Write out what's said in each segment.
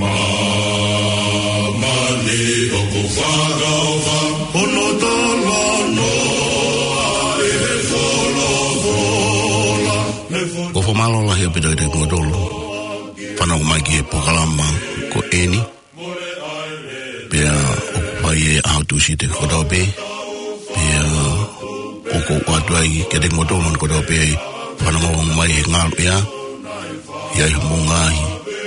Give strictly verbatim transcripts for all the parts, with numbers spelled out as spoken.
Māmani ʻoku fakaʻofa, hono talanoa ʻi he folofola. Ko e fakamālō lahi ʻaupito kiate kimoutolu fanongo mai ki he polokalama ko eni. Pea ʻoku fai ʻe he ʻaho Tūsite kotoa pē. Pea ʻoku ou ʻoatu ai kiate kimoutolu kotoa pē fanongo mai he ngaluʻea. ʻI ai haʻamou ngaahi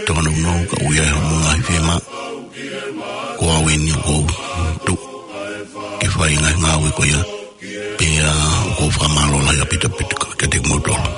tōnounou, ka ʻoku ʻi ai haʻamou ngaahi fiemaʻu. Ko au eni ʻoku ou tuʻu ke fai e ngaahi ngāue ko ia. Pea ʻoku ou fakamālō lahi ʻaupito ʻaupito kiate kimoutolu.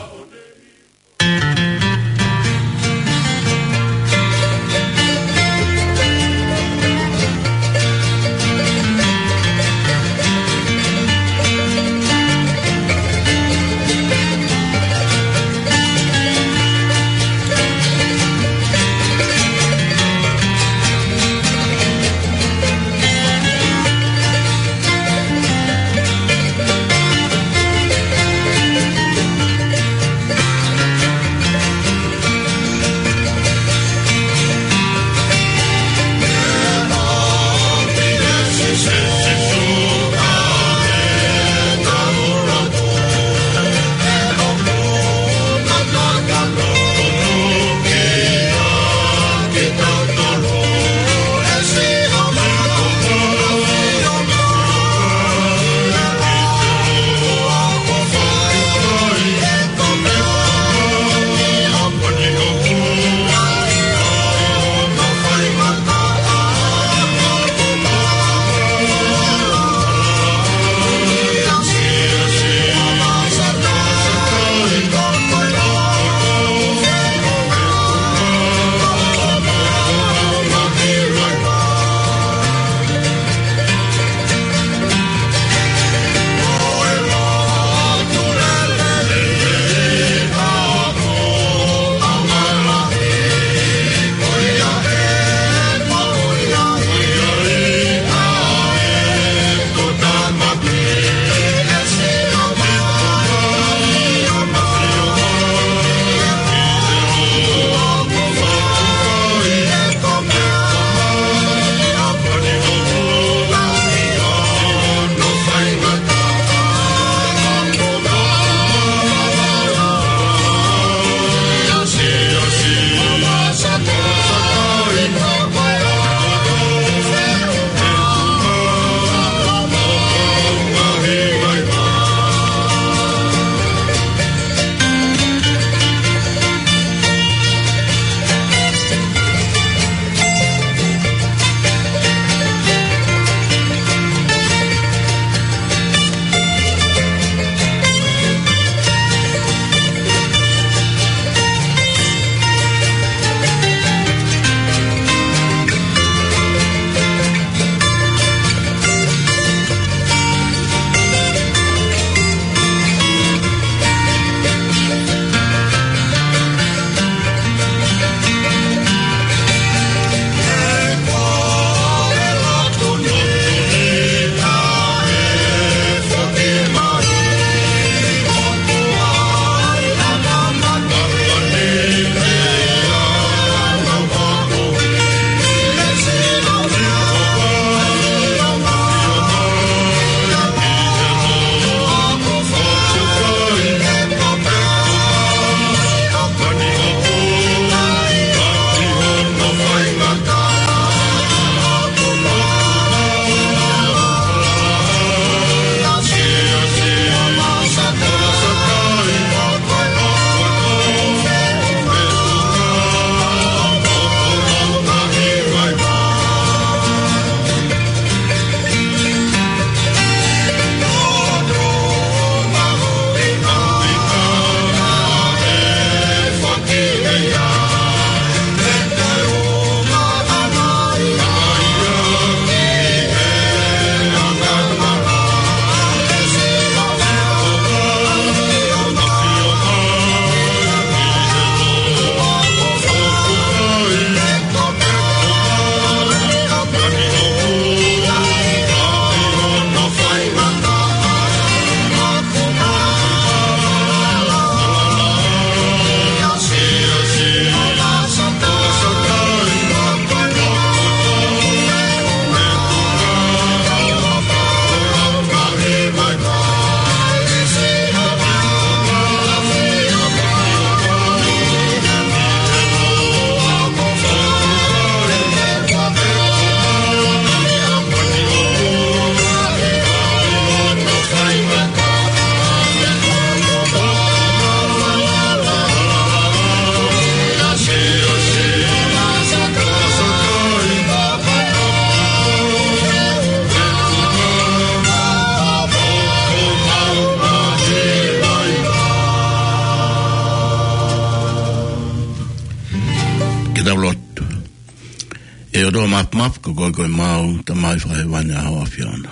ʻE ʻOtua Mafimafi, ko koe ko ʻemau Tamai Fakahēvani ʻa ho ʻAfiona.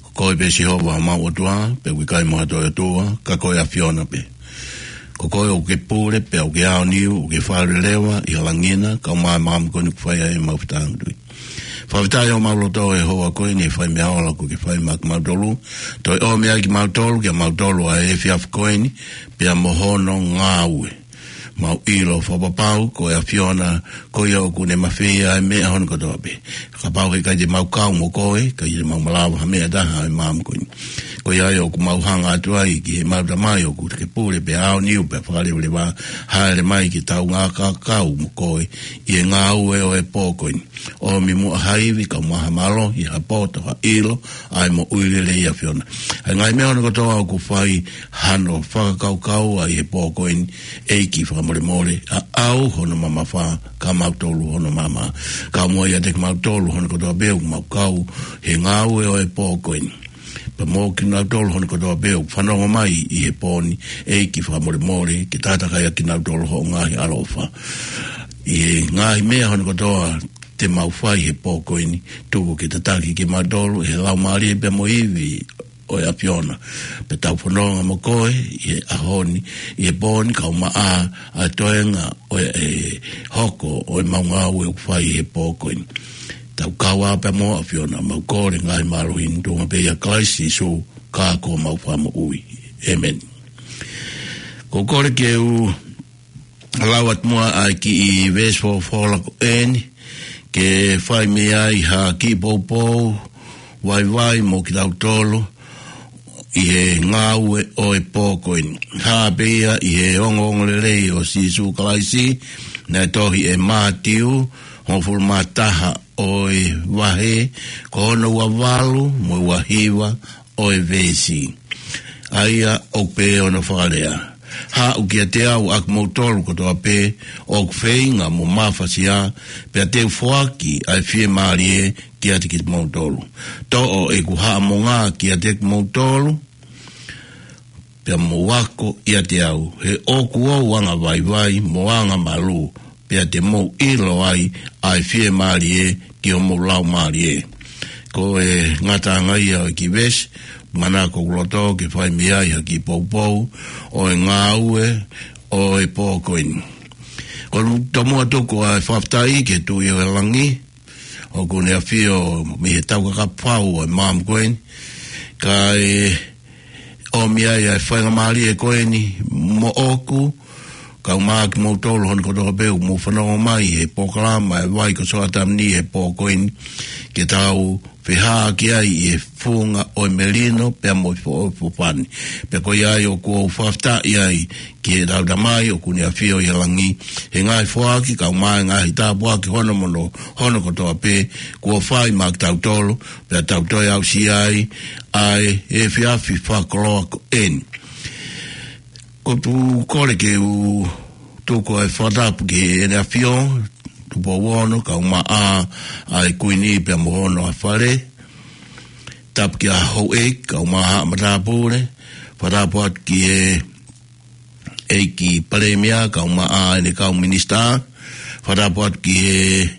Ko koe pē Sihova homau ʻOtua, pea ʻoku ʻikai mo ha toe ʻOtua ka ko e ʻAfiona pē. Ko koe ʻoku ke pule, pea ʻoku ke aoniu, ʻoku ke fakaleleva ʻi he langi na, kae ʻumaʻā e māmani ko eni ʻoku fai ai ʻemau fetāngutuʻi. Fakafetaʻi ʻo mau loto ʻi he houa ko eni he fai meʻa ʻoku ke fai maʻa kimautolu. Toe ʻomi ai kimautolu, kimautolu ʻa e efiafi ko eni, pea mo hono ngāue. Mau ʻilo fakapapau ko e ʻAfiona, ko ia ʻoku ne mafeia ʻa e meʻa hono kotoa pē. Kapau he ʻikai te mau kau mo koe, ʻikai te mau malava ha meʻa ʻe taha ʻi he māmani ko eni. Ko ia ai ʻoku mau hanga atu ai ki heʻemau Tamai ʻoku ke pule pea aoniu pea fakalevaleva, hāʻele mai ke tau ngāueʻaki mo koe ʻi he ngāue ʻo e pō ko eni. ʻOmi muʻa ha ivi kae ʻumaʻā ha mālohi, ha poto, ha ʻilo, ʻa e moʻui lelei ʻa e ʻAfiona. ʻA e ngaahi meʻa hono kotoa ʻoku fai hano fakakaukau ai he pō ko eni, ʻEiki fakamolemole, ʻa ʻau hono mamafa, kae ʻumaʻā kimautolu hono maama. Kae ʻumaʻā ʻiate kimautolu hono kotoa pē ʻoku mau kau he ngāue ʻo e pō ko eni. Pea mo kinautolu hono kotoa pē ʻoku fanongo mai ʻi he pō ni, ʻEiki fakamolemole, ke tataki ʻa kinautolu hoʻo ngaahi ʻaloʻofa. ʻI he ngaahi meʻa hono kotoa te mau fai he pō ko eni, tuku ke tataki kimautolu ʻe he Laumālie pea mo e ivi ʻo e ʻAfiona. Pea tau fononga mo koe ʻi he ʻaho ni, ʻi he pō ni kae ʻumaʻā ʻa e toenga ʻo e hoko ʻo ʻemau ngāue ʻoku fai he pō ko eni. Tau kau ai pea mo e ʻAfiona, mau kole e ngaahi mālohi ni tuʻunga pē ʻia Kalaisi Sīsū, ko homau Fakamoʻui. ʻĒmeni. Ko e kole ke u lau atu muʻa ʻa e kiʻi veesi folofola ko eni, ke fai mei ai ha kiʻi poupou vaivai mo kitautolu ʻi he ngāue ʻo e pō ko eni. Hā pē ia ʻi he ongoongolelei ʻo Sīsū Kalaisi, naʻe tohi ʻe Mātiu, hongofulu mā taha ʻo e vahe, ko hono ua valu mo e ua hiva ʻo e veesi. ʻA ia ʻoku pehē hono fakalea: Haʻu kiate au ʻa kimoutolu kotoa pē ʻoku feinga mo mafasia, pea te u foaki ʻa e fiemālie kiate kimoutolu. Toʻo ʻeku haʻamonga kiate kimoutolu, pea mou ako ʻiate au, he ʻoku ou anga vaivai mo anga malū, pea te mou ʻilo ai ʻa e fiemālie ki homou laumālie. Ko e ngataʻanga ia ʻo e kiʻi veesi, manako ʻoku loto ke fai mei ai ha kiʻi poupou ʻo e ngāue ʻo e pō ko eni. Ko e tomuʻa tuku ʻa e fakafetaʻi ki he Tuʻi ʻo e langi, ʻoku ne ʻafio mei he taukakapa fau ʻo e māmani ko eni, kae ʻomi ai ʻa e faingamālie ko eni moʻoku, kae ʻumaʻā kimoutolu hono kotoa pē ʻoku mou fanongo mai he polokalama ʻa e Vai ko Soatamani he pō ko eni, ke tau fehāʻaki ai ʻi he funga ʻo e melino pea mo e fo-, fofani. Pea ko ia ai ʻoku ou fakafetaʻi ai ki heʻetau Tamai ʻoku ne ʻafio ʻi he langi, he ngaahi foaki kae ʻumaʻā e ngaahi tāpuaki hono moʻoni, hono kotoa pē kuo fai maʻa kitautolu, pea tau toe aʻusia ai ʻa e efiafi fakakoloa ko eni. Ko e kole ke u tuku ʻa e fakatapu ki heʻene ʻAfio, Tupou Ono, kae ʻumaʻā ʻa e Kuini pea mo hono ʻa Fale. Tapu ki he houʻeiki, kae ʻumaʻā haʻa matāpule. Fakatapu atu ki he ʻEiki Palēmia, kae ʻumaʻā ʻene kau minisitā. Fakatapu atu ki he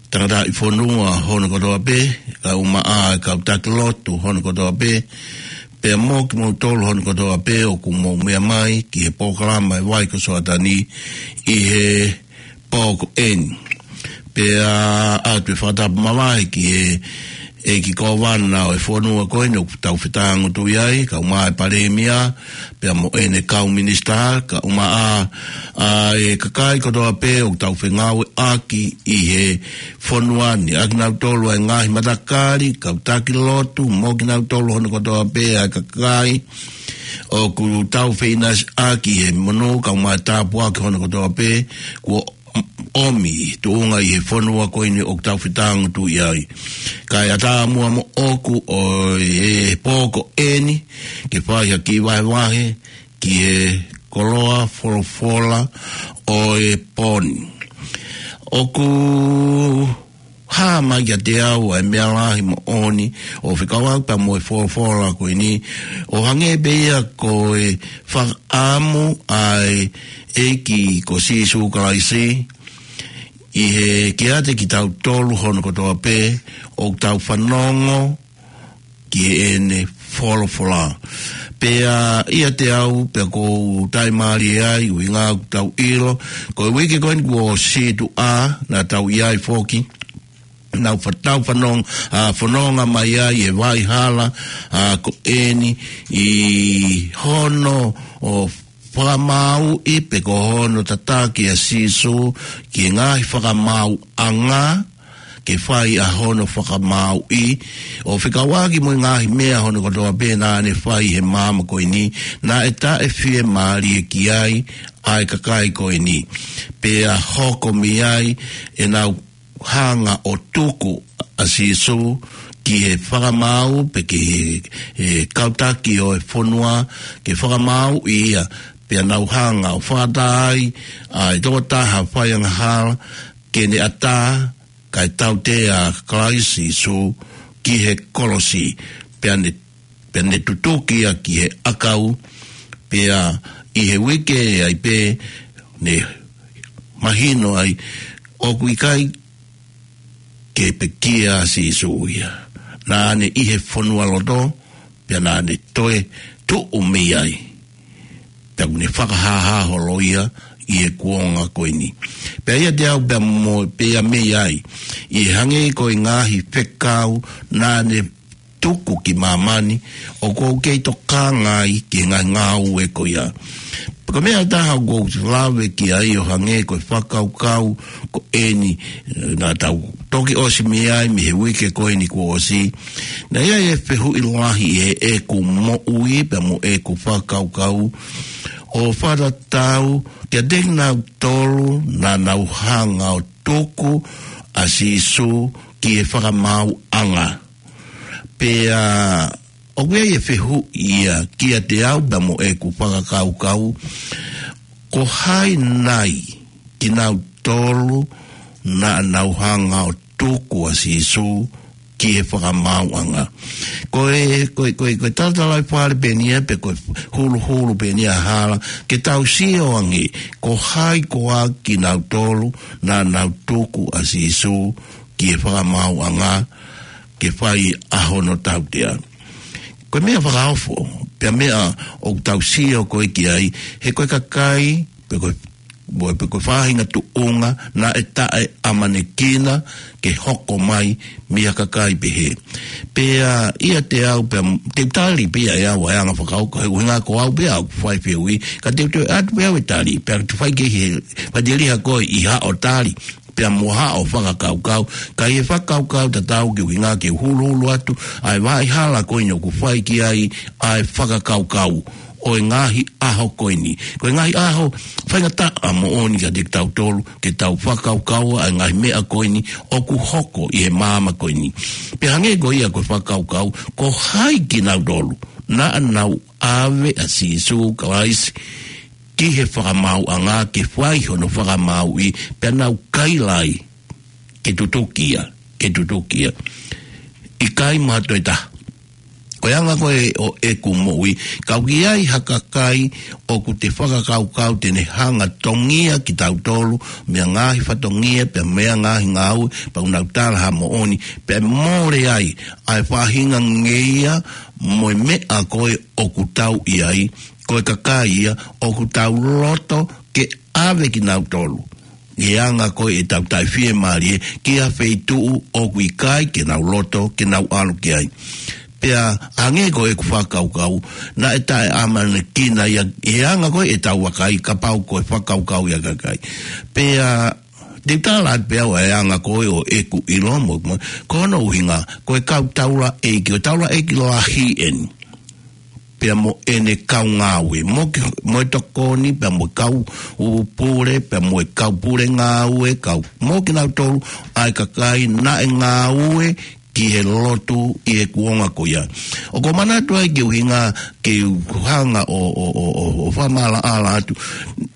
tangataʻi fonua hono kotoa pē, kae ʻumaʻā e kau taki lotu hono kotoa pē, pea mo kimoutolu hono kotoa pē ʻoku mou meʻa mai ki he polokalama ʻa e Vai ko Soatamani ʻi he pō ko eni. Pea ʻoatu e fakatapu mavahe ki he ʻEiki Kōvana ʻo e fonua ko eni ʻoku tau fetāngutuʻi ai, kae ʻumaʻā e Palēmia, pea mo ʻene kau minisitā, kae ʻumaʻā ʻa e kakai kotoa pē ʻoku tau fengāueʻaki ʻi he fonua ni, ʻa kinautolu ʻa e ngaahi matakali, kau taki lotu, mo kinautolu hono kotoa pē ʻa e kakai ʻoku tau feʻinasiʻaki he monū, kae ʻumaʻā e tāpuaki hono kotoa pē kuo ʻomi tuʻunga ʻi he fonua ko eni ʻoku tau fetāngutuʻi ai. Kae ʻatā muʻa moʻoku ʻo e pō ko eni ke fai ha kiʻi vahevahe ki he koloa folofola ʻo e pō ni. ʻOku hā mai kiate au ʻa e meʻa lahi moʻoni ʻo fekauʻaki pea mo e folofola ko eni, ʻo hangē pē ia ko e fakaʻamu ʻa e ʻEiki ko Sīsū Kalaisi ʻi he kiate kitautolu hono kotoa pē ʻoku tau fanongo ki heʻene folofola. Pea ʻiate au, pea ʻoku ou taʻimālie ai, ʻuhinga ʻoku tau ʻilo, ko e uike ko eni kuo ʻosi tuʻa, naʻa tau ʻi ai foki, naʻa tau fanongo, ʻa, fononga mai ai ʻi he vaʻa hala, ʻa, ko eni ʻi hono ʻo fakamāuʻi pe ko hono tataki ʻa Sīsū ki he ngaahi fakamaauʻanga, ke fai ʻa hono fakamāuʻi, ʻo fekauʻaki mo e ngaahi meʻa hono kotoa pē naʻa ne fai he māmani ko eni, naʻe taʻefiemālie ki ai ʻa e kakai ko eni. Pea hoko mei ai ʻenau hanga ʻo tuku ʻa Sīsū ki he fakamaau pe ki he, he kau taki ʻo e fonua, ke fakamāuʻi ia, pea nau hanga ʻo fakatā ai ʻa e tokotaha faiangahala ke ne ʻatā, kae tautea ʻa Kalaisi Sīsū ki he kolosi, pea ne, pea ne tutuki ia ki he ʻakau, pea ʻi he uike ai pē ne mahino ai ʻoku ʻikai ke pekia ʻa Sīsū ia. Naʻa ne ʻi he fonualoto, pea naʻa ne toe tuʻu mei ai. Pea ʻoku ne fakahāhā holo ia ʻi he kuonga ko eni. Pea ʻiate au pea mo, pea mei ai, ʻi he hangē ko e ngaahi fekau naʻa ne tuku ki māmani, ʻoku ou kei tokanga ai ki he ngaahi ngāue ko ia. Ko e meʻa ʻe taha ʻoku ou lave ki ai ʻo hangē ko e fakakaukau ko eni, naʻa tau toki ʻosi mei ai mei he uike ko eni kuo ʻosi. Naʻe ʻi ai e fehuʻi lahi ʻi heʻeku moʻui pea mo ʻeku fakakaukau, ʻo fakatatau kiate kinautolu naʻa nau hanga ʻo tuku ʻa Sīsū ki he fakamaauʻanga. Pea ʻoku ʻi ai e fehuʻi ia kiate au pea mo ʻeku fakakaukau, ko hai nai kinautolu naʻa nau hanga ʻo tuku ʻa Sīsū ki he fakamaauʻanga? Ko e, ko e, ko e, ko e talatalaifale pē eni ia, pe ko e huluhulu pē eni ia ʻa e hala, ke tau sio ange, ko hai koā kinautolu naʻa nau tuku ʻa Sīsū ki he fakamaauʻanga, ke fai ʻa hono tautea. Ko e meʻa fakaofo, pea meʻa ʻoku tau sio ko ē ki ai, he ko e kakai, pe ko e, mo e pe ko e faʻahinga tuʻunga, naʻe taʻeʻamanekina ke hoko mai mei ha kakai pehē. Pea ʻiate au pea, te u tali pē ia ʻe au ʻa e anga fakaofo, he ʻuhinga ko au pē ʻoku fai fehuʻi, ka te u toe ʻatu pē au e tali, pea te u fai ke he, fai te liha koe ʻi haʻo tali, pea mo haʻo fakakaukau, ka ʻi he fakakaukau tatau ke ʻuhinga ke huluhulu atu ʻa e vaʻa hala ko eni ʻoku fai ki ai ʻa e fakakaukau ʻo e ngaahi ʻaho ko eni. Ko e ngaahi ʻaho faingataʻa moʻoni kiate kitautolu, ke tau fakakaukau ʻa e ngaahi meʻa ko eni ʻoku hoko ʻi he māmani ko eni. Pea hangē ko ia ko e fakakaukau, ko hai kinautolu naʻa nau ʻave ʻa Sīsū Kalaisi ki he fakamaauʻanga ke fai hono fakamāuʻi, pea nau kaila ai ke tutuki ia, ke tutuki ia. ʻIkai mo ha toe taha. Ko e anga ko ē ʻo ʻeku moʻui, ka ʻoku ʻi ai ha kakai ʻoku te fakakaukau te ne hanga tongia kitautolu mei he ngaahi fatongia, pea mei he ngaahi ngāue, pea ʻoku nau tala ha moʻoni, pea mole ai ʻa e faʻahinga ngeia mo e meʻa ko ē ʻoku tau ʻi ai, ko e kakai ia ʻoku tau loto ke ʻave kinautolu ʻi he anga ko ē ʻetau taʻefiemālie ki ha feituʻu ʻoku ʻikai ke nau loto ke nau ʻalu ki ai. Pea hangē ko ʻeku fakakaukau, naʻe taʻeʻamanekina ia ʻi he anga ko ē ʻetau vakai, kapau ko e fakakaukau ia ʻa e kakai. Pea te u tala atu pē au ʻa e anga ko ē ʻo ʻeku ʻilo mo, mo, ko hono ʻuhinga, ko e kau taulaʻeiki, ko e taulaʻeiki lahi eni, pea mo ʻene kau ngāue, mo ki, mo e tokoni, pea mo e kau pule, pea mo e kau pule ngāue, kau, mo kinautolu ʻa e kakai naʻe ngāue ki he lotu ʻi he kuonga ko ia. ʻOku ou manatu ai ki he ʻuhinga ke u hanga ʻo, ʻo, ʻo, ʻo, ʻo fakamaʻalaʻala atu.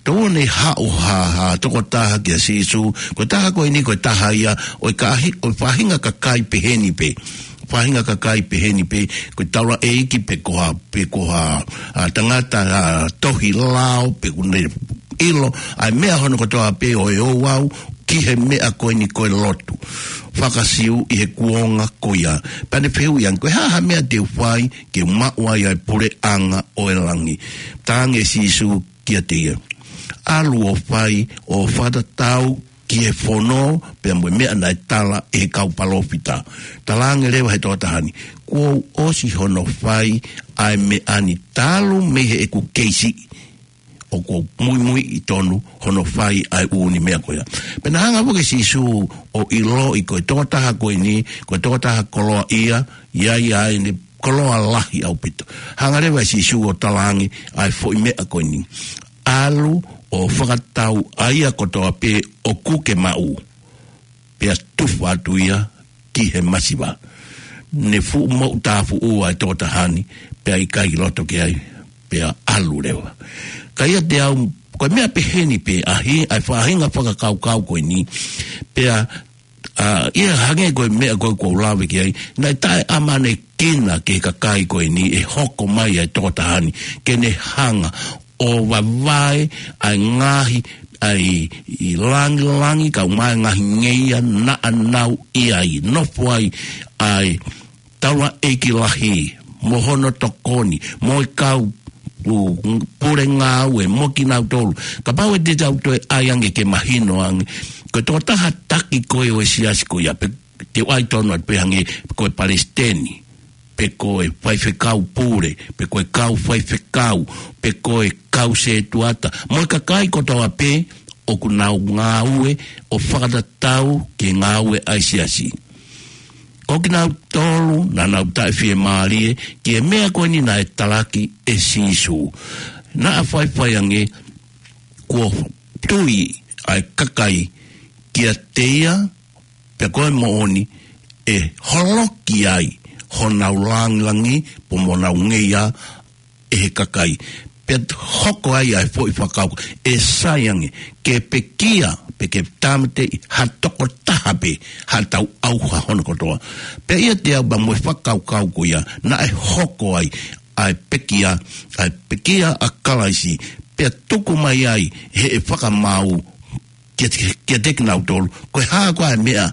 Tau ne haʻu ha, ha tokotaha kia Sīsū, ko e taha ko eni, ko e taha ia ʻo e kahi, ʻo e faʻahinga kakai peheni pē. Faʻahinga kakai peheni pē, ko e taulaʻeiki pe ko ha, pe ko ha, ʻa, tangata, ʻa, tohi lao, pe ʻoku ne ʻilo ʻa e meʻa hono kotoa pē ʻo e ouau, ki he meʻa ko eni ko e lotu faka-Siu ʻi he kuonga ko ia. Pea ne fehuʻi ange, ko e hā ha meʻa te u fai ke maʻu ai ʻa e puleʻanga ʻo e langi? Talaange ʻe Sīsū kiate ia, ʻalu ʻo fai ʻo fakatatau ki he fono pea mo e meʻa naʻe tala ʻe he kau palōfita. Talaange leva he tokotaha ni, kuo u ʻosi hono fai ʻa e meʻa ni talu mei heʻeku kei siʻi. ʻOku ou muimui ʻi tonu hono fai ʻa e ʻū meʻa ko ia. Pea naʻe hanga foki ʻe Sīsū ʻo ʻiloʻi ko e tokotaha ko eni, ko e tokotaha koloaʻia, ʻi ai ʻa ʻene koloa lahi ʻaupito. Hanga leva ʻe Sīsū ʻo talaange ʻa e foʻi meʻa ko eni, ʻalu ʻo fakatatau ʻa ia kotoa pē ʻoku ke maʻu, pea tufa atu ia ki he masiva. Ne fuʻu moʻutāfuʻua ʻa e tokotaha ni, pea ʻikai loto ki ai, pea ʻalu leva. Ka ʻiate au, ko e meʻa pehē ni pē ʻa e, ʻa e faʻahinga fakakaukau ko eni, pea, ʻa, ʻi he hangē ko e meʻa ko ē ʻoku ou lave ki ai, naʻe taʻeʻamanekina ki he kakai ko eni ʻe hoko mai ʻa e tokotaha ni, ke ne hanga ʻo vavae ʻa e ngaahi, ʻa e, ʻi langilangi, kae ʻumaʻā e ngaahi ngeia naʻa nau ʻi ai, nofo ai ʻa e taulaʻeiki lahi, mo hono tokoni, mo e kau, ʻū, pule ngāue, mo kinautolu. Kapau ʻe te tau toe ʻai ange ke mahino ange, ko e tokotaha taki ko ē ʻo e siasi ko ia, pe te u ʻai tonu atu pē hangē, ko e palesiteni, pe ko e faifekau pule, pe ko e kau faifekau, pe ko e kau setuata, mo e kakai kotoa pē ʻoku nau ngāue ʻo fakatatau ki he ngāue ʻa e siasi. Ko kinautolu naʻa nau taʻefiemālie ki he meʻa ko eni naʻe talaki ʻe Sīsū. Naʻa faifai ange kuo tui ʻa e kakai kiate ia, pea ko e moʻoni ʻe holoki ai honau langilangi, pea mo honau ngeia ʻe he kakai. Pea hoko ai ʻa e foʻi fakakaukau, ʻe sai ange ke pekia, pe ke tāmateʻi ha tokotaha pē, ha tau ʻauha hono kotoa. Pea ʻiate au pea mo e fakakaukau ko ia, naʻe hoko ai ʻa e pekia, ʻa e pekia ʻa Kalaisi, pea tuku mai ai ʻe he fakamaau kia, kiate kinautolu, ko e hā koā e meʻa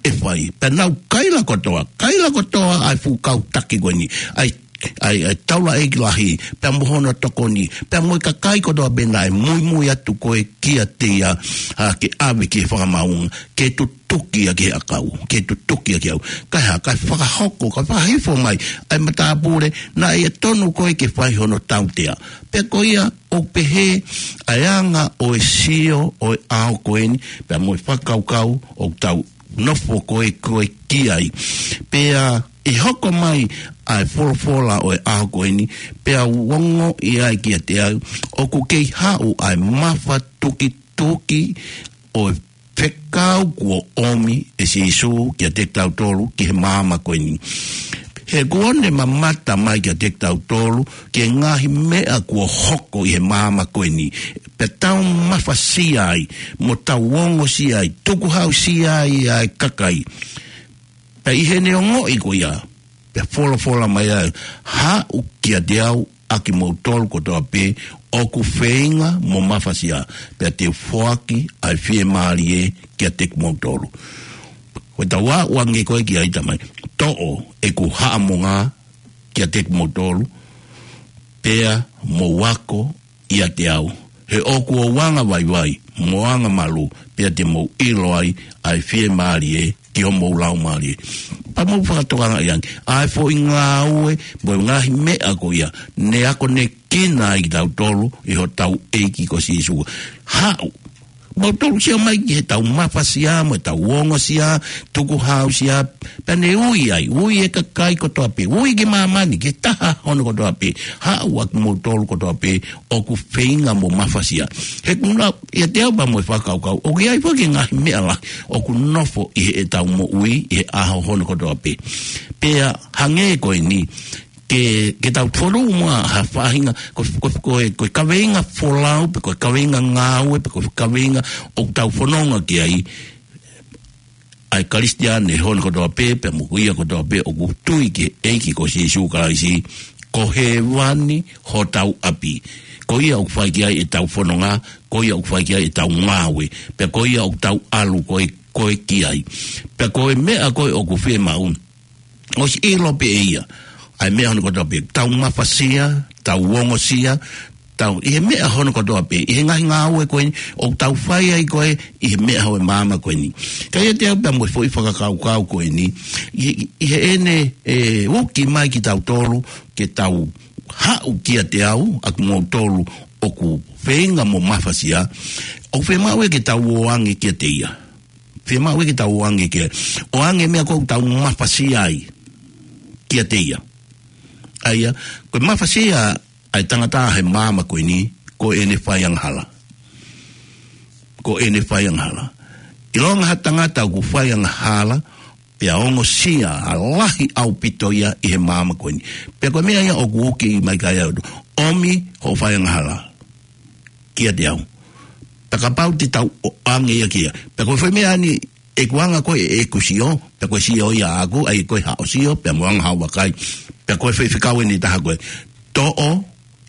ʻe fai. Pea nau kaila kotoa, kaila kotoa ʻa e fuʻu kau taki ko eni, ʻa e, ʻa e, ʻa e taulaʻeiki lahi, pea mo hono tokoni, pea mo e kakai kotoa pē naʻe muimui atu ko ē kiate ia, ʻa, ke ʻave ki he fakamaau, ke tutuki ia ki he ʻakau, ke tutuki ia ki he ʻakau. Kae hā, kae fakahoko, kae fakahifo mai ʻa e matāpule naʻe tonu ko ē ke fai hono tautea. Pea ko ia, ʻoku pehē ʻa e anga ʻo e sio ʻo e ʻaho ko eni, pea mo e fakakaukau ʻoku tau nofo ko ē ko ē ki ai. Pea ʻi he hoko mai ʻa e folofola ʻo e ʻaho ko eni, pea u ongoʻi ai kiate au, ʻoku kei haʻu ʻa e mafatukituki ʻo e fekau kuo ʻomi ʻe Sīsū kiate kitautolu ki he māmani ko eni. He kuo ne mamata mai kiate kitautolu ki he ngaahi meʻa kuo hoko ʻi he māmani ko eni, pea tau mafasia ai, mo tau ongosia ai, tukuhausia ai ʻa e kakai. Pea ʻi heʻene ongoʻi ko ia, pea folofola mai ai, haʻu kiate au ʻa kimoutolu kotoa pē ʻoku feinga mo mafasia, pea te u foaki ʻa e fiemālie kiate kimoutolu. Ko e tau aʻu ange ko ē ki ai, Tamai, toʻo ʻeku haʻamonga kiate kimoutolu, pea mou ako ʻiate au. He ʻoku ou anga vaivai, mo anga malu, pea te mou ʻilo ai ʻa e fiemālie ki homou laumālie. Pea mou fakatokangaʻi ange ʻa e foʻi ngāue, mo e ngaahi meʻa ko ia ne akonekina ai kitautolu ʻe hotau ʻEiki ko Sīsū. Haʻu, moutolu sio mai ki he tau mafasia, mo e tau ongosia, tukuhausia, pea ne ui ai, ui e kakai kotoa pē, ui ki māmani, ki he taha hono kotoa pē, haʻu ʻa kimoutolu kotoa pē ʻoku feinga mo mafasia. He ʻoku ou lau ʻiate au pea mo e fakakaukau, ʻoku ʻi ai foki e ngaahi meʻa lahi ʻoku nofo ʻi heʻetau moʻui ʻi he ʻaho hono kotoa pē. Pea hangē ko eni, ke, ke tau fonu muʻa ha faʻahinga, ko, ko, ko e, ko e kaveinga folau, pe ko e kaveinga ngāue, pe ko e kaveinga ʻoku tau fononga ki ai, ʻa e Kalisitiane hono kotoa pē, pea mo ia kotoa pē ʻoku tui ki he ʻEiki ko Sīsū Kalaisi, Ko hēvani hotau ʻapi. Ko ia ʻoku fai ki ai ʻetau fononga, ko ia ʻoku fai ki ai ʻetau ngāue, pea ko ia ʻoku tau ʻalu ko ē, ko ē ki ai. Pea ko e meʻa ko ē ʻoku fiemaʻu, ʻosi ʻilo pē ʻe ia ʻa e meʻa hono kotoa pē, tau mafasia, tau ongosia, tau, ʻi he meʻa hono kotoa pē, ʻi he ngaahi ngāue ko eni ʻoku tau fai ai ko ē ʻi he meʻa ʻo e māmani ko eni. Ka ʻi heʻetau pea mo e foʻi fakakaukau ko eni, ʻi, ʻi heʻene, ē, uki mai kitautolu, ke tau haʻu kiate au, ʻa kimoutolu ʻoku feinga mo mafasia, ʻoku fiemaʻu ia ke tau ō ange kiate ia. Fiemaʻu ia ke tau ō ange ke, ō ange meʻa ko ē ʻoku tau mafasia ai kiate ia. ʻA ia, ko e mafasia ʻa e tangata he māmani ko eni, ko ʻene faiangahala. Ko ʻene faiangahala. ʻIlonga ha tangata ʻoku faiangahala, pea ongosia ʻa e lahi ʻaupito ia ʻi he māmani ko eni. Pea ko e meʻa ia ʻoku uki mai ki ai ʻa e ʻOtua. ʻOmi hoʻo faiangahala kiate au. Pea kapau te tau ō ange ia ki ai. Pea ko e foʻi meʻa ni, ʻeku anga ko ē ʻeku sio, pea ko e sio ia ʻaʻaku, ʻa ia ko e haʻo sio, pea mo e anga haʻo vakai. Pea ko e foʻi fekau eni ʻe taha ko e, toʻo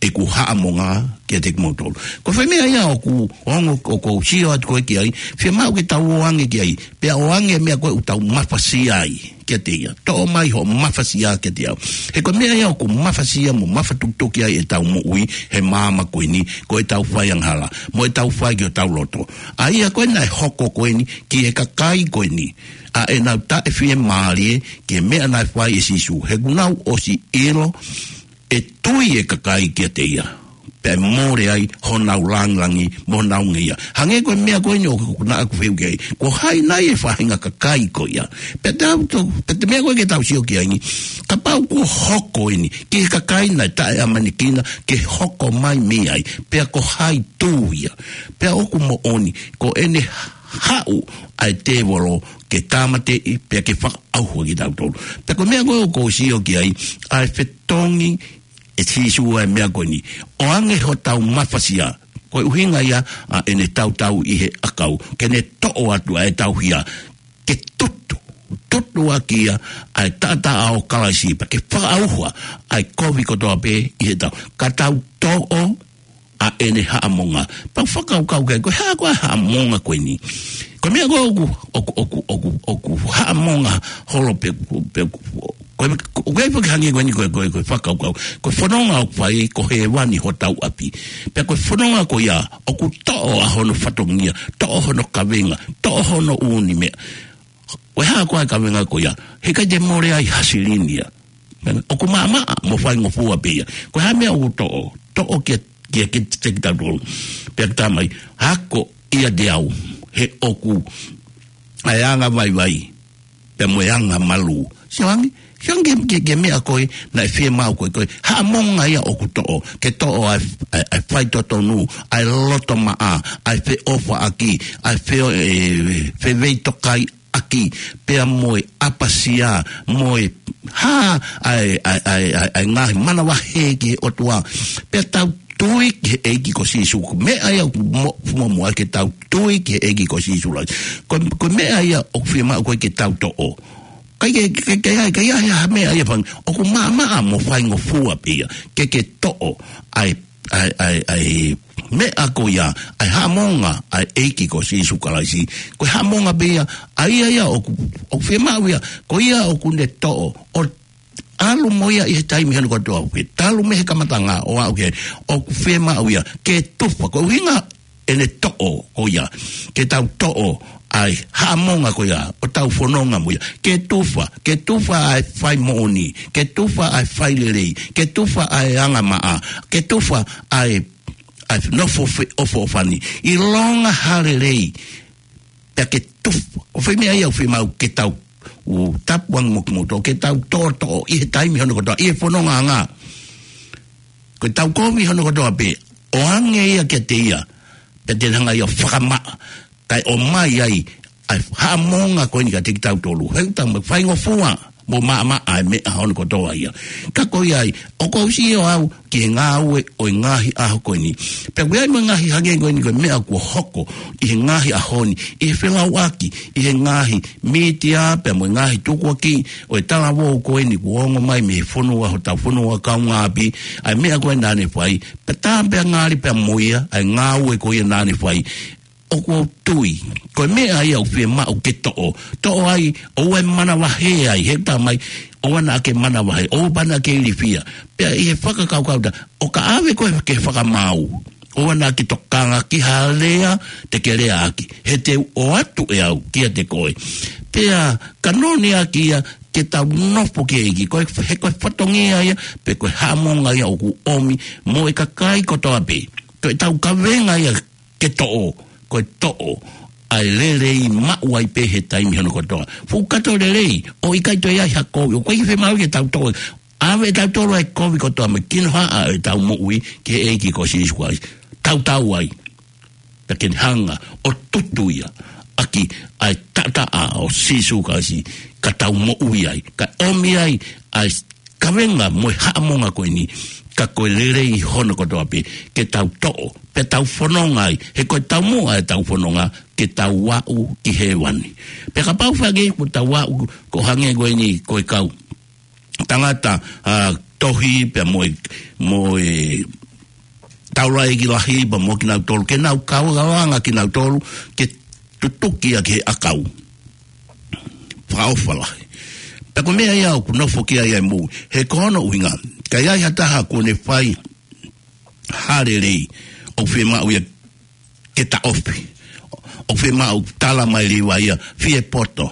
ʻeku haʻamonga kiate kimoutolu. Ko e foʻi meʻa ia ʻoku ongo, ʻoku ou sio atu ko ē ki ai, fiemaʻu ke tau ō ange ki ai, pea ō ange meʻa ko ē ʻoku tau mafasia ai kiate ia. Toʻo mai hoʻo mafasia kiate au. He ko e meʻa ia ʻoku mafasia mo mafatukituki ai ʻetau moʻui he māmani ko eni, ko ʻetau faiangahala, mo ʻetau fai ki hotau loto. ʻA ia ko ē naʻe hoko ko eni ki he kakai ko eni, ʻa ʻenau taʻefiemālie ki he meʻa naʻe fai ʻe Sīsū. He kuo nau ʻosi ʻilo ʻe tui e kakai kiate ia, pea mole ai honau langilangi mo honau ngeia. Hangē ko e meʻa ko eni ʻoku, naʻa ku fehuʻi ki ai, ko hai nai e faʻahinga kakai ko ia? Pea tau to, pea te meʻa ko ē ke tau sio ki ai ni, kapau kuo hoko eni ki he kakai naʻe taʻeʻamanekina ke hoko mai mei ai, pea ko hai tū ia? Pea ʻoku moʻoni, ko ʻene haʻu ʻa e tēvolo ke tāmateʻi, pea ke fakaʻauha kitautolu. Pea ko e meʻa ko ē ʻoku ou sio ki ai, ʻa e fetongi ʻe Sīsū ʻa e meʻa ko eni. ʻO ange hotau mafasia. Ko e ʻuhinga ia ʻa ʻene tautau ʻi he ʻakau, ke ne toʻo atu ʻa ʻetau hia, ke tutu, tutu ʻaki ia ʻa e taʻataʻa ʻo Kalaisi, pea ke fakaʻauha ʻa e kovi kotoa pē ʻi heʻetau. Ka tau toʻo ʻa ʻene haʻamonga. Pea u fakakaukau ki ai, ko e hā koā e haʻamonga ko eni? Ko e meʻa ko ē ʻoku, ʻoku, ʻoku, ʻoku, ʻoku haʻamonga holo pē, pē, ko e, ko e, ko e hangē ko eni ko e, ko e, ko e fakakaukau. Ko e fononga ʻoku fai, ko hēvani hotau ʻapi. Pea ko e fononga ko ia, ʻoku toʻo ʻa hono fatongia, toʻo hono kavenga, toʻo hono ʻū meʻa. Ko e hā koā e kavenga ko ia? Heʻikai te mole ai ha silini ia. ʻOku maʻamaʻa mo faingofua pē ia. Ko e hā e meʻa ʻoku toʻo, toʻo kia, kia, kia, kia kitautolu? Pea ke tā mai, ako ʻiate au, he ʻoku ʻa e anga vaivai, pea mo e anga malū. Sio ange, sio ange ki he, ki he meʻa ko ē naʻe fiemaʻu ko ē, ko e haʻamonga ia ʻoku toʻo, ke toʻo ʻa e, ʻa e, ʻa e faitotonu, ʻa e loto maʻa, ʻa e feʻofaʻaki, ʻa e feo-, ē, feveitokaiʻaki, pea mo e ʻapasia, mo e hā, ʻa e, ʻa e, ʻa e, ʻa e, ʻa e ngaahi manavahē ki he ʻOtua. Pea tau tui ki he ʻEiki ko Sīsū. Ko e meʻa ia ʻoku mo-, mo-, mo-, ke tau tui ki he ʻEiki ko Sīsū Kalaisi. Ko, ko e meʻa ia ʻoku fiemaʻu ko ē ke tau toʻo. ʻIkai ke, ke, ke, ke, ke, ke, ʻa e meʻa ia fang-, ʻoku maʻamaʻa mo faingofua pē ia. Ke, ke toʻo ʻa e, ʻa e, ʻa e, ʻa e meʻa ko ia, ʻa e haʻamonga ʻa e ʻEiki ko Sīsū Kalaisi. Ko e haʻamonga pē ia, ʻa ia ia ʻoku, ʻoku fiemaʻu ia, ko ia ʻoku ne toʻo, ʻo ʻalu mo ia ʻi he taimi hono kotoa, ke talu mei he kamataʻanga ʻo aʻu ki he, ʻoku fiemaʻu ia ke tufa, ko e ʻuhinga ʻene toʻo ko ia, ke tau toʻo ʻa e haʻamonga ko ia ʻo tau fononga mo ia, ke tufa, ke tufa ʻa e fai moʻoni, ke tufa ʻa e fai lelei, ke tufa ʻa e anga maʻa, ke tufa ʻa e, ʻa e nofo feʻofoʻofani, ʻilonga ha lelei, pea ke tufa. Ko e foʻi meʻa ia ʻoku fiemaʻu ke tau, ʻoku tapu ange mo kimoutolu, ke tau toʻotoʻo ʻi he taimi hono kotoa, ʻi he fonongaʻanga. Ko ʻetau kovi hono kotoa pē, ʻoange ia kiate ia, pea te ne hanga ia ʻo fakamaʻa, kae ʻomai ai ʻa e haʻamonga ko eni kiate kitautolu. He ʻoku tau mo faingofua, Mo maʻamaʻa e meʻa hono kotoa ia. Ka ko ia ai, ʻoku ou sio au ki he ngāue ʻo e ngaahi ʻaho ko eni. Pea ʻoku ʻi ai mo e ngaahi hangē ko eni ko e meʻa kuo hoko ʻi he ngaahi ʻaho ni, ʻi he felauʻaki, ʻi he ngaahi mītia, pea mo e ngaahi tukuakiʻi ʻo e talavou ko eni kuo ongo mai mei he fonua, hotau fonua kaungāʻapi, ʻa e meʻa ko ē naʻa ne fai, pea tā pea ngali pea mo ia, ʻa e ngāue ko ia naʻa ne fai, ʻoku ou tui ko e meʻa ia ʻoku fiemaʻu ke toʻo. Toʻo ai, ʻoua ʻe manavahē ai, he tā mai, ʻoua naʻa ke manavahē, ʻoua pea naʻa ke ilifia. Pea ʻi he fakakaukau tā, ʻo ka ʻave koe ke fakamaau, ʻoua naʻa ke tokanga ki ha lea te ke leaʻaki, he te u ʻoatu ʻe au kiate koe. Pea ka noniʻaki ia ke tau nofo ki he ʻEiki, ko e, he ko e fatongia ia, pe ko e haʻamonga ia ʻoku ʻomi mo e kakai kotoa pē. Ko ʻetau kavenga ia ke toʻo, ko e toʻo ʻa e lelei maʻu ai pē he taimi hono kotoa. Fuʻu kato lelei, ʻo ʻikai toe ʻi ai ha kovi, ʻoku ʻikai fiemaʻu ke tau toʻo. ʻAve ʻe tautolu ʻa e kovi kotoa mo e kinohaʻa ʻo ʻetau moʻui ki he ʻEiki ko Sīsū Kalaisi. Tautau ai, pea ke ne hanga ʻo tutu ia ʻaki ʻa e taʻataʻa ʻo Sīsū Kalaisi, ka tau moʻui ai, ka ʻomi ai ʻa e kavenga mo e haʻamonga ko eni, ka ko e lelei hono kotoa pē, ke tau toʻo, pea tau fononga ai, he ko e taumuʻa ʻetau fononga, ke tau aʻu ki hēvani. Pea kapau fēfē kuo tau aʻu, ko e hangē ko eni, ko e kau tangata, ʻa, tohi, pea mo e, mo e taulaʻeiki lahi, pea mo kinautolu, ke nau kau ʻalanga kinautolu, ke tutuki ʻa ki he ʻakau. Fakaʻofa lahi. Pea ko e meʻa ia ʻoku nofo ki ai ʻa e moʻui. He ko hono ʻuhinga, ka ʻi ai ha taha kuo ne fai ha lelei, ʻoku fiemaʻu ia ke taʻofi. ʻOku fiemaʻu, tala mai leva ia, fie poto,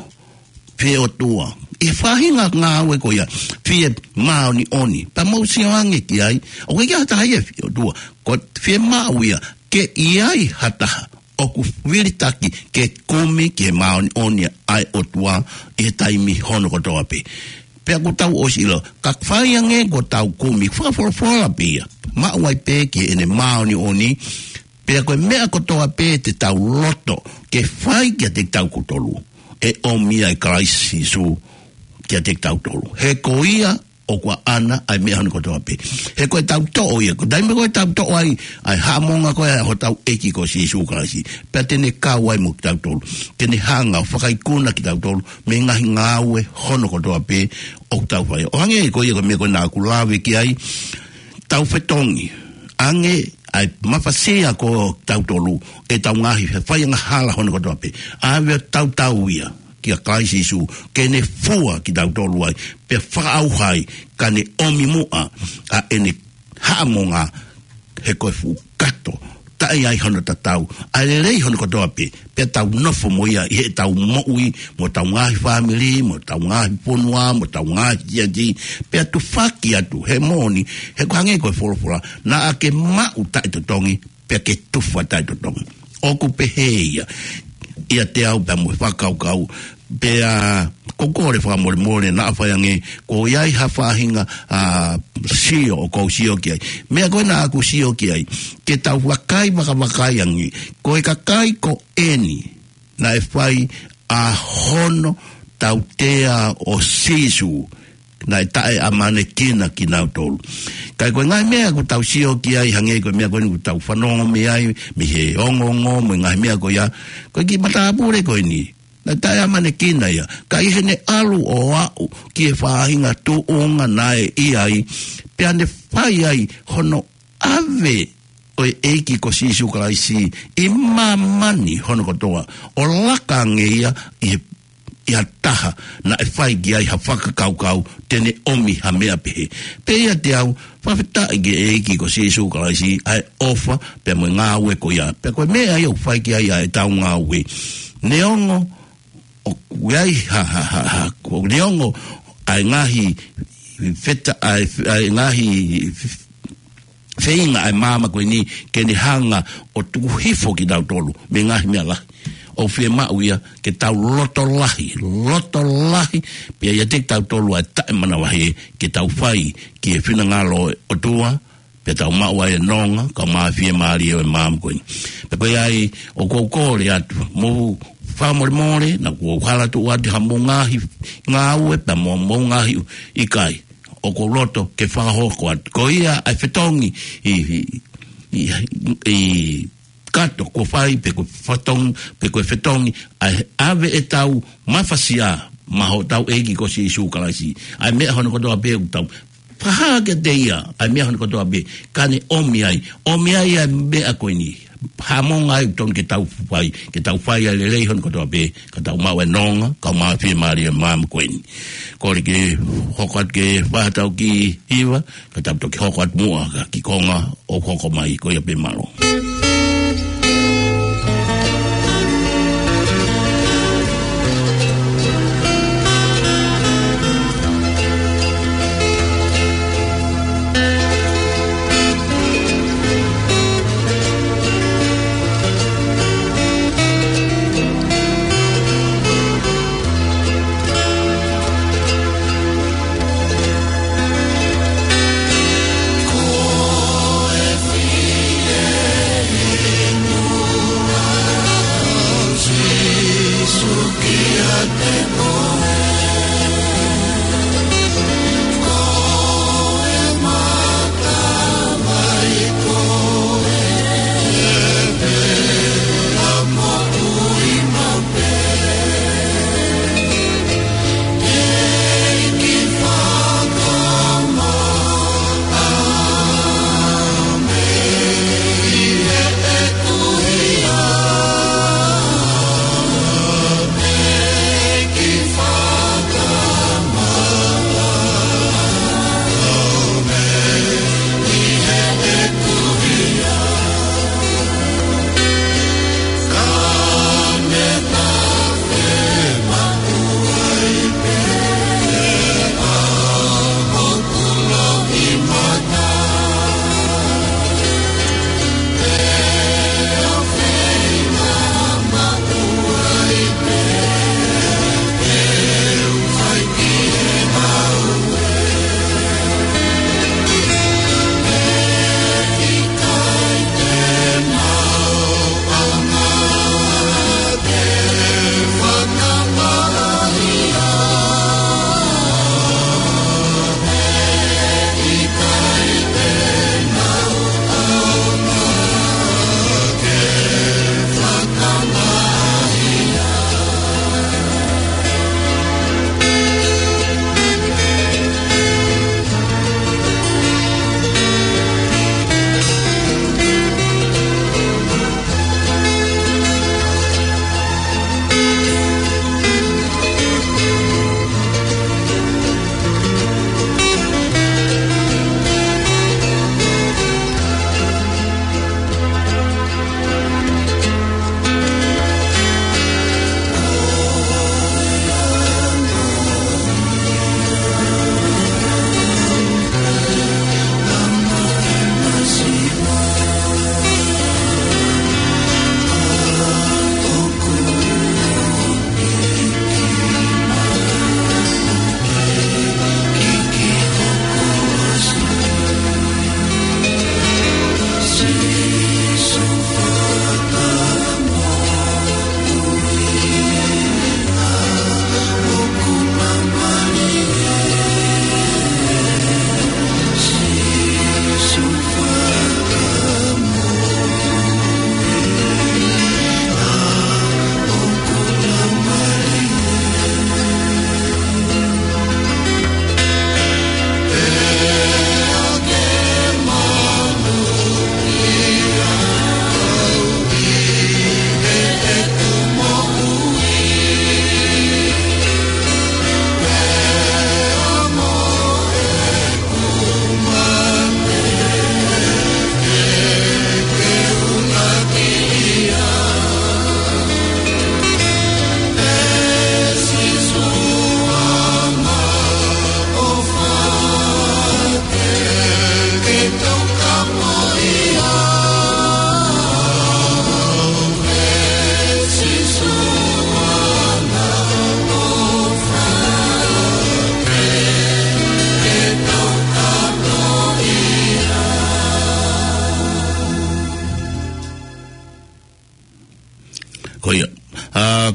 fie ʻOtua. ʻI he faʻahinga ngāue ko ia, fie māʻoniʻoni. Pea mou sio ange ki ai, ʻoku ʻikai ha taha ia fie ʻOtua. Ko e fiemaʻu ia, ke ʻi ai ha taha ʻoku vilitaki ke kumi ki he māʻoniʻoni ʻa e ʻOtua ʻi he taimi hono kotoa pē. Pea kuo tau ʻosi ʻilo, ka fai ange kuo tau kumi, fakafolofola pē ia. Maʻu ai pē ki heʻene māʻoniʻoni, pea ko e meʻa kotoa pē te tau loto ke fai kiate kitautolu, ʻe ʻomi ia ʻe Kalaisi Sīsū kiate kitautolu. He ko ia ʻoku ʻaʻana ʻa e meʻa hono kotoa pē. He ko ʻetau toʻo ia, ko e taimi ko ē ʻoku tau toʻo ai ʻa e haʻamonga ko ē ʻa hotau ʻEiki ko Sīsū Kalaisi, pea te ne kau ai mo kitautolu, te ne hanga ʻo fakaikuna kitautolu mei he ngaahi ngāue hono kotoa pē ʻoku tau fai. ʻO hangē ko ia ko e meʻa ko ē naʻa ku lave ki ai, tau fetongi ange ʻa e mafasia ko kitautolu, ʻetau ngaahi fai angahala hono kotoa pē. ʻAve ʻo tautau ia kia Kalaisi Sīsū, ke ne fua kitautolu ai, pea fakaʻauha ai, ka ne ʻomi muʻa ʻa ʻene haʻamonga, he ko e fuʻu kato, taʻe ʻi ai hono tatau, ʻa e lelei hono kotoa pē, pea tau nofo mo ia ʻi heʻetau moʻui, mo ʻetau ngaahi fāmili, mo ʻetau ngaahi fonua, mo ʻetau ngaahi siasi, pea tufaki atu, he moʻoni, he ko e hangē ko e folofola, naʻa ke maʻu taʻetotongi, pea ke tufa taʻetotongi. ʻOku pehē ia ʻiate au pea mo e fakakaukau, pea ʻoku ou kole fakamolemole naʻa fai ange, kuo ʻi ai ha faʻahinga, ʻa, sio ʻoku ou sio ki ai. Meʻa ko ē naʻa ku sio ki ai, ke tau vakai, vakavakai ange, ko e kakai ko eni, naʻe fai ʻa hono tautea ʻo Sīsū, naʻe taʻeʻamanekina kinautolu. Ka ko e ngaahi meʻa ʻoku tau sio ki ai, hangē ko e meʻa ko eni ʻoku tau fanongo mei ai, mei he ongoongo, mo e ngaahi meʻa ko ia, ko e kiʻi matāpule ko eni, naʻe taʻeʻamanekina ia. Ka ʻi heʻene ʻalu ʻo aʻu ki he faʻahinga tuʻunga naʻe ʻi ai, pea ne fai ai hono ʻave ʻo e ʻEiki ko Sīsū Kalaisi ʻi māmani hono kotoa, ʻo laka ange ia ʻi he, ʻi ha taha naʻe fai ki ai ha fakakaukau te ne ʻomi ha meʻa pehē. Pea ʻiate au, fakafetaʻi ki he ʻEiki ko Sīsū Kalaisi, ʻa e ʻofa, pea mo e ngāue ko ia. Pea ko e meʻa ia ʻoku fai ki ai ʻa ʻetau ngāue. Neongo ʻoku ʻi ai ha, ha, ha, ha, ko e neongo ʻa e ngaahi feta-, ʻa e, ʻa e ngaahi feinga ʻa e māmani ko eni ke ne hanga ʻo tuku hifo kitautolu mei he ngaahi meʻa lahi, ʻoku fiemaʻu ia ke tau loto lahi, loto lahi, pea ʻiate kitautolu ʻa e taʻemanavahē ke tau fai ki he finangalo ʻo e ʻOtua, pea tau maʻu ai e nonga, kae ʻumaʻā e fiemālie ʻo e māmani ko eni. Pea ko ia ai, ʻoku ou kole atu, mou fakamolemole, naʻa kuo u hala tuʻu atu ha mou ngaahi ngāue, pea mo e mou ngaahi ʻikai. ʻOku ou loto ke fakahoko atu. Ko ia ʻa e fetongi ʻi, ʻi, ʻi, ʻi kato kuo fai pe ko e fetongi, pe ko e fetongi, ʻa e ʻave ʻetau mafasia maʻa hotau ʻEiki ko Sīsū Kalaisi. ʻA e meʻa hono kotoa pē ʻoku tau fakahā kiate ia, ʻa e meʻa hono kotoa pē, ka ne ʻomi ai, ʻomi ai ʻa e meʻa ko eni. Haʻamonga ai ʻoku totonu ke tau fai, ke tau fai ʻa e lelei hono kotoa pē, ka tau maʻu e nonga, ka maʻu e fiemālie maama ko eni. Kole ke hoko atu ke fai haʻatau kiʻi hiva, ka tau toki hoko atu muʻa ki he konga ʻoku hoko mai, ko ia pē, mālō.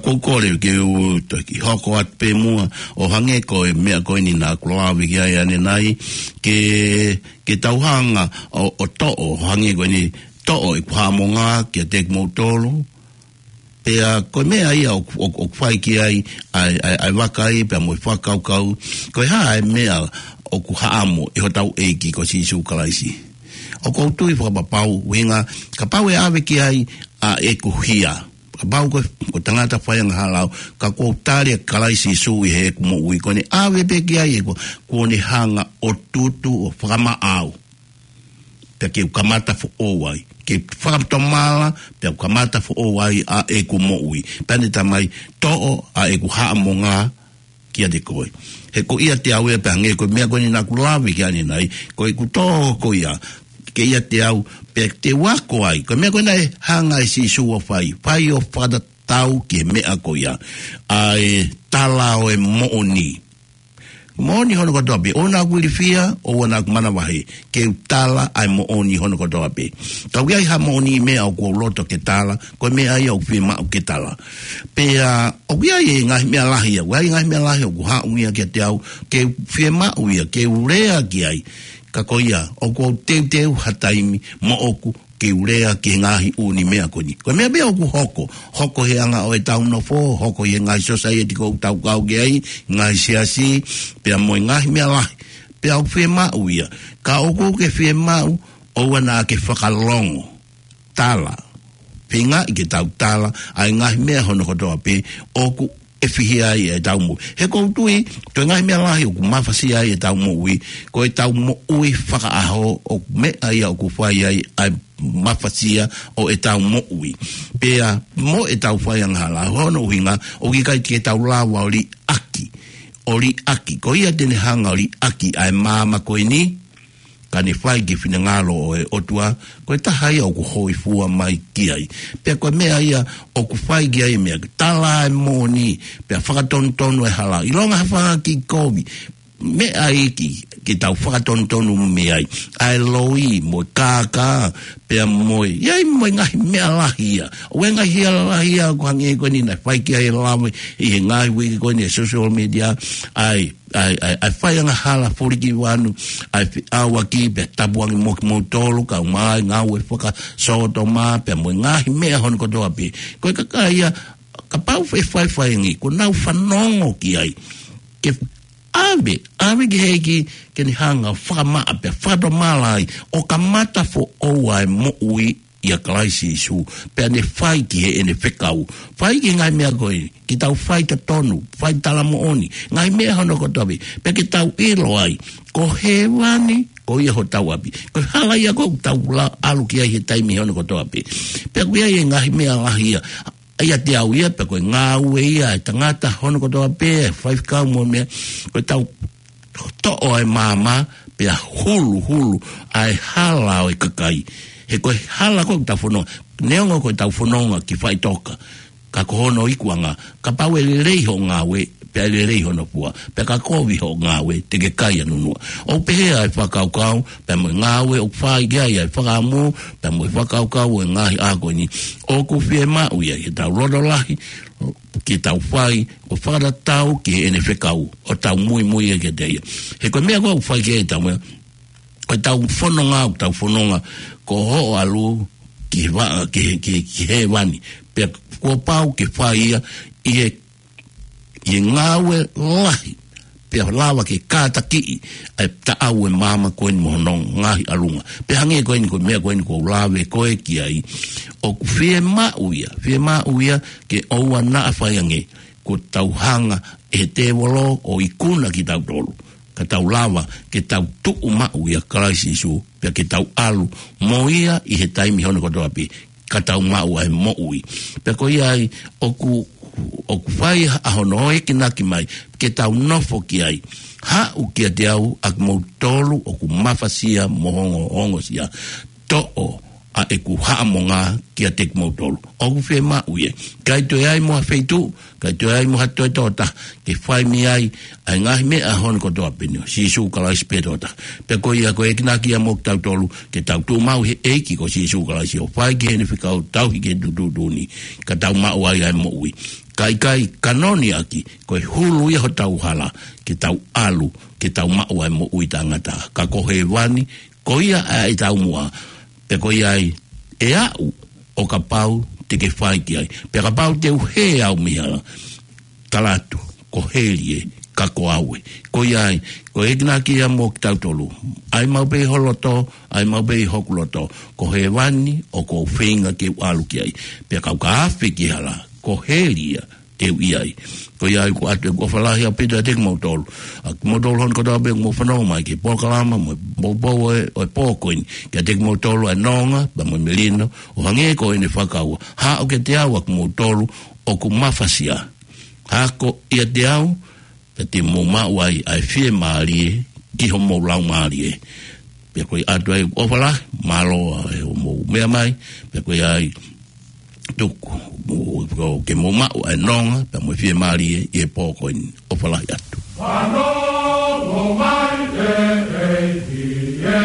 ʻoku ou kole ke u toki hoko atu pē muʻa ʻo hangē ko e meʻa ko eni naʻa ku lave ki ai ʻanenai, ke, ke tau hanga ʻo, ʻo toʻo, hangē ko eni toʻo ʻeku haʻamonga kiate kimoutolu. Pea ko e meʻa ia ʻoku, ʻoku, ʻoku fai ki ai ʻa e, ʻa e, ʻa e vakai pea mo e fakakaukau, ko e hā e meʻa ʻoku haʻamo ʻe hotau ʻEiki ko Sīsū Kalaisi. ʻOku ou tui fakapapau, ʻuhinga, kapau ʻe ʻave ki ai ʻa ʻeku hia, kapau ko, ko e tangata faiangahala au, ka ʻoku ou tali ʻa Kalaisi Sīsū ʻi heʻeku moʻui, ko ʻene ʻave pē ki ai ʻeku, kuo ne hanga ʻo tutu ʻo fakamaʻa au. Pea ke u kamata foʻou ai. Ke fakatomala, pea u kamata foʻou ai ʻa ʻeku moʻui. Pea ne talamai, toʻo ʻa ʻeku haʻamonga kiate koe. He ko ʻiate au ia pea hangē ko e meʻa ko eni naʻa ku lave ki ai ʻanenai, ko ʻeku tō ko ia, ke ʻiate au, pea te u ako ai. Ko e meʻa ko ena ʻe hanga ʻe Sīsū ʻo fai, fai ʻo fakatatau ki he meʻa ko ia. ʻA e tala ʻo e moʻoni. Moʻoni hono kotoa pē, ʻoua naʻa ku ilifia, ʻoua naʻa ku manavahē, ke u tala ʻa e moʻoni hono kotoa pē. Ka ʻoku ʻi ai ha moʻoni meʻa ʻoku ou loto ke tala, ko e meʻa ia ʻoku fiemaʻu ke tala. Pea, ʻoku ʻi ai e ngaahi meʻa lahi ia, ʻoku ʻi ai e ngaahi meʻa lahi ʻoku haʻu ia kiate au, ke u fiemaʻu ia, ke u lea ki ai, ka ko ia, ʻoku ou teuteu ha taimi, moʻoku, ke u lea ki he ngaahi ʻū meʻa ko eni. Ko e meʻa pē ʻoku hoko, hoko he anga ʻo ʻetau nofo, hoko he ngaahi sōsaieti ʻoku tau kau ki ai, ngaahi siasi, pea mo e ngaahi meʻa lahi. Pea ʻoku fiemaʻu ia. Ka ʻoku ke fiemaʻu, ʻoua naʻa ke fakalongo. Tala. Feingaʻi ke tau tala, ʻa e ngaahi meʻa hono kotoa pē, ʻoku ʻe fihia ai ʻetau moʻui. He ʻoku ou tui, ko e ngaahi meʻa lahi ʻoku mafasia ai ʻetau moʻui, ko ʻetau moʻui fakaʻaho ʻoku meʻa ia ʻoku fai ai ʻa e mafasia ʻo ʻetau moʻui. Pea mo ʻetau faiangahala, hono ʻuhinga, ʻoku ʻikai ke tau lava ʻo liʻaki. ʻO liʻaki, ko ia te ne hanga ʻo liʻaki ʻa e maama ko eni, ka ne fai ki he finangalo ʻo e ʻOtua, ko e taha ia ʻoku hōifua mai ki ai. Pea ko e meʻa ia ʻoku fai ki ai e meʻa, tala e moʻoni, pea fakatonutonu e hala. ʻIlonga ha faʻahinga kiʻi kovi, meʻa ia ke, ke tau fakatonutonu mei ai. ʻA e loi, mo e kākā, pea mo e, ʻi ai mo e ngaahi meʻa lahi ia. ʻOku ʻi ai e ngaahi hia lahi ia, ʻoku hangē ko eni naʻe fai ki ai e lave, ʻi he ngaahi uike ko eni e social media, ʻa e ʻa e, ʻa e, ʻa e faiangahala fulikivanu, ʻa e feʻauaki pea tapuangi mo kimoutolu, kae ʻumaʻā e ngāue fakasōtoma, pea mo e ngaahi meʻa hono kotoa pē. Ko e kakai ia, kapau ʻe faifai ange, kuo nau fanongo ki ai. Ke ʻave, ʻave ki he ʻEiki, ke ne hanga fakamaʻa pea fakatomala ai, ʻo kamata foʻou ʻa e moʻui ʻia Kalaisi Sīsū, pea ne fai ki heʻene fekau. Fai ki he ngaahi meʻa ko ē, ke tau fai totonu, fai talamoʻoni, ngaahi meʻa hono kotoa pē, pea ke tau ʻilo ai, ko hēvani, ko ia hotau ʻapi. Ko e hala ia ʻoku tau la-, ʻalu ki ai he taimi hono kotoa pē. Pea ʻoku ʻi ai e ngaahi meʻa lahi ia, ʻiate au ia, pea ko e ngāue ia, e tangata hono kotoa pē, faifekau mo e meʻa, ko e tau toʻo ʻa e maama, pea huluhulu ʻa e hala ʻo e kakai. He ko e hala ʻoku tau fononga, neongo ʻoku tau fononga ki faʻitoka, ka ko hono ikuʻanga, kapau ʻe lelei hoʻo ngāue, pea ʻe lelei hono fua, pea ka kovi hoʻo ngāue, te ke kai ʻa nunuʻa. ʻOku pehē ʻa e fakakaukau, pea mo e ngāue ʻoku fai ki ai ʻa e fakaʻamu, pea mo e fakakaukau ʻo e ngaahi ʻaho ko eni. ʻOku fiemaʻu ia, ke tau loto lahi, ke tau fai, ʻo fakatatau ki heʻene fekau, ʻo tau muimui ia kiate ia. He ko e meʻa ʻoku fai ki ai ʻetau meʻa, ko ʻetau fononga, ʻoku tau fononga, ko hoʻo ʻalu ki he va-, ki he, ki he, ki hēvani. Pea kuo pau ke fai ia, ʻi he, ʻi he ngāue lahi, pea lava ke kātakiʻi ʻa e taʻau ʻo e maama ko eni mo hono ngaahi ʻalunga. Pea hangē ko eni ko e meʻa ko eni ʻoku ou lave ko ē ki ai, ʻoku fiemaʻu ia, fiemaʻu ia ke ʻoua naʻa fai ange, kuo tau hanga ʻe he tēvolo ʻo ikuna kitautolu, ka tau lava ke tau tuʻu maʻu ʻia Kalaisi Sīsū, pea ke tau ʻalu mo ia ʻi he taimi hono kotoa pē, ka tau maʻu ʻa e moʻui. Pea ko ia ai, ʻoku, ʻoku fai ʻa hono ʻoekinaki mai, ke tau nofo ki ai. Haʻu kiate au ʻa kimoutolu ʻoku mafasia mo ongo, ongosia. Toʻo ʻa ʻeku haʻamonga kiate kimoutolu. ʻOku fiemaʻu ia. ʻIkai toe ʻi ai mo ha feituʻu, ʻikai toe ʻi ai mo ha toe tokotaha ke fai mei ai ʻa e ngaahi meʻa ʻa hono kotoa pē ni ʻo Sīsū Kalaisi pē tokotaha. Pea ko ia ko e enginaki ia mo kitautolu ke tau tuʻu maʻu he ʻEiki ko Sīsū Kalaisi ʻo fai ki heʻene fekau tauhi ki he tuʻutuʻuni ka tau maʻu ai ʻa e moʻui. Ka ʻikai kanoni ʻaki, ko e hulu ia hotau hala ke tau ʻalu, ke tau maʻu ʻa e moʻui taʻengata. Ka ko hēvani, ko ia ʻa e taumuʻa, pea ko ia ai ʻe aʻu ʻo kapau te ke fai ki ai. Pea kapau te u hē au mei he hala, tala atu, ko heli ē, ka ko au ē. Ko ia ai, ko e enginaki ia mo kitautolu. ʻAi maʻu pē ʻi ho loto, ʻai maʻu pē ʻi hoku loto. Ko hēvani ʻoku ou feinga ke u ʻalu ki ai. Pea kapau ka afe ki he hala, ko heli ia ʻe u ʻi ai. Ko ia ai ʻoku ʻoatu ʻeku ʻofa lahi ʻaupito kiate kimoutolu. ʻA kimoutolu hono kotoa pē ʻoku mou fanongo mai ki he polokalama mo e poupou ʻo e, ʻo e pō ko eni. Kiate kimoutolu ʻa e nonga, pea mo e melino, ʻo hangē ko ʻene fakaua. Haʻu kiate au ʻa kimoutolu ʻoku mafasia. Hako ʻiate au, pea te mou maʻu ai ʻa e fiemālie ki homou laumālie. Pea ko ia ʻoatu ai ʻofa lahi, mālō ʻa e hoʻomou meʻa mai, pea ko ia ai tuku, mo, ko, ke mou maʻu ʻa e nonga, pea mo e fiemālie ʻi he pō ko eni. ʻOfa lahi atu. Fanongo mai e ʻEiki ē.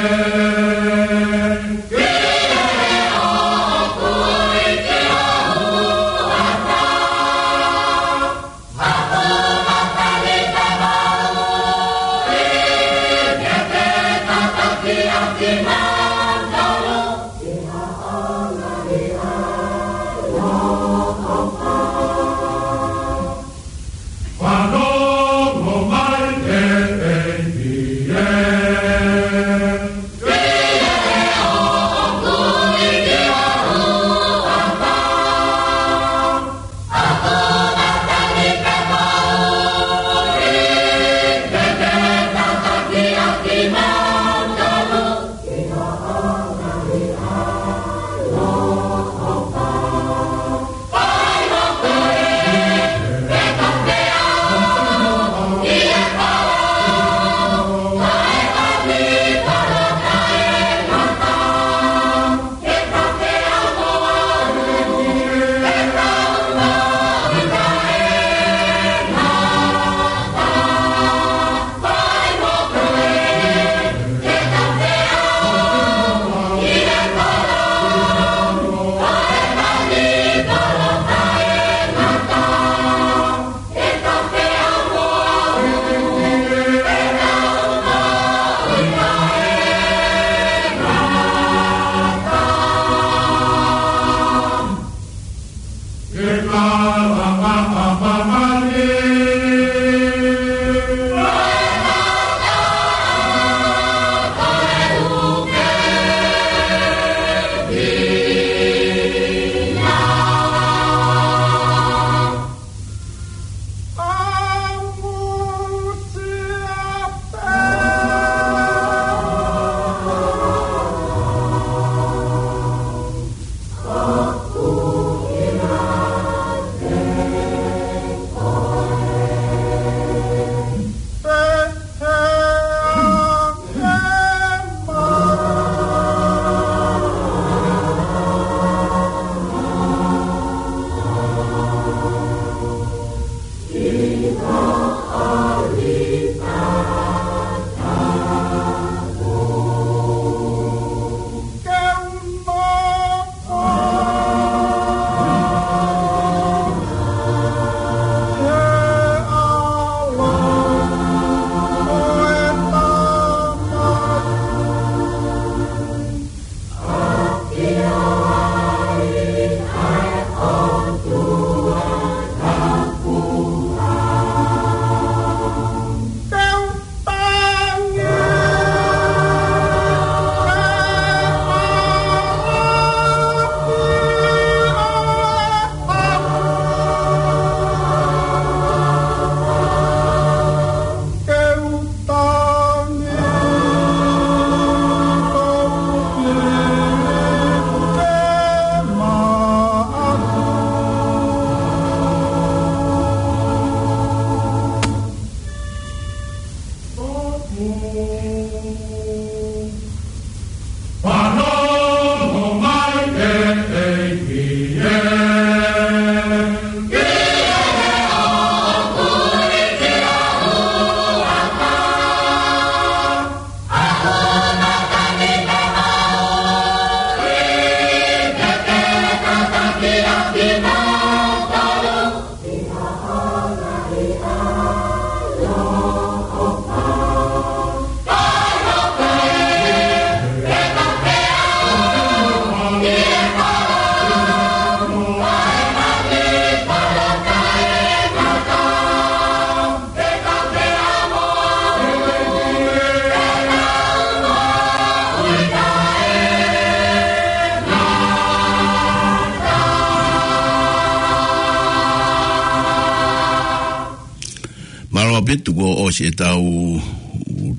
Mālō ʻaupito kuo ʻosi ʻetau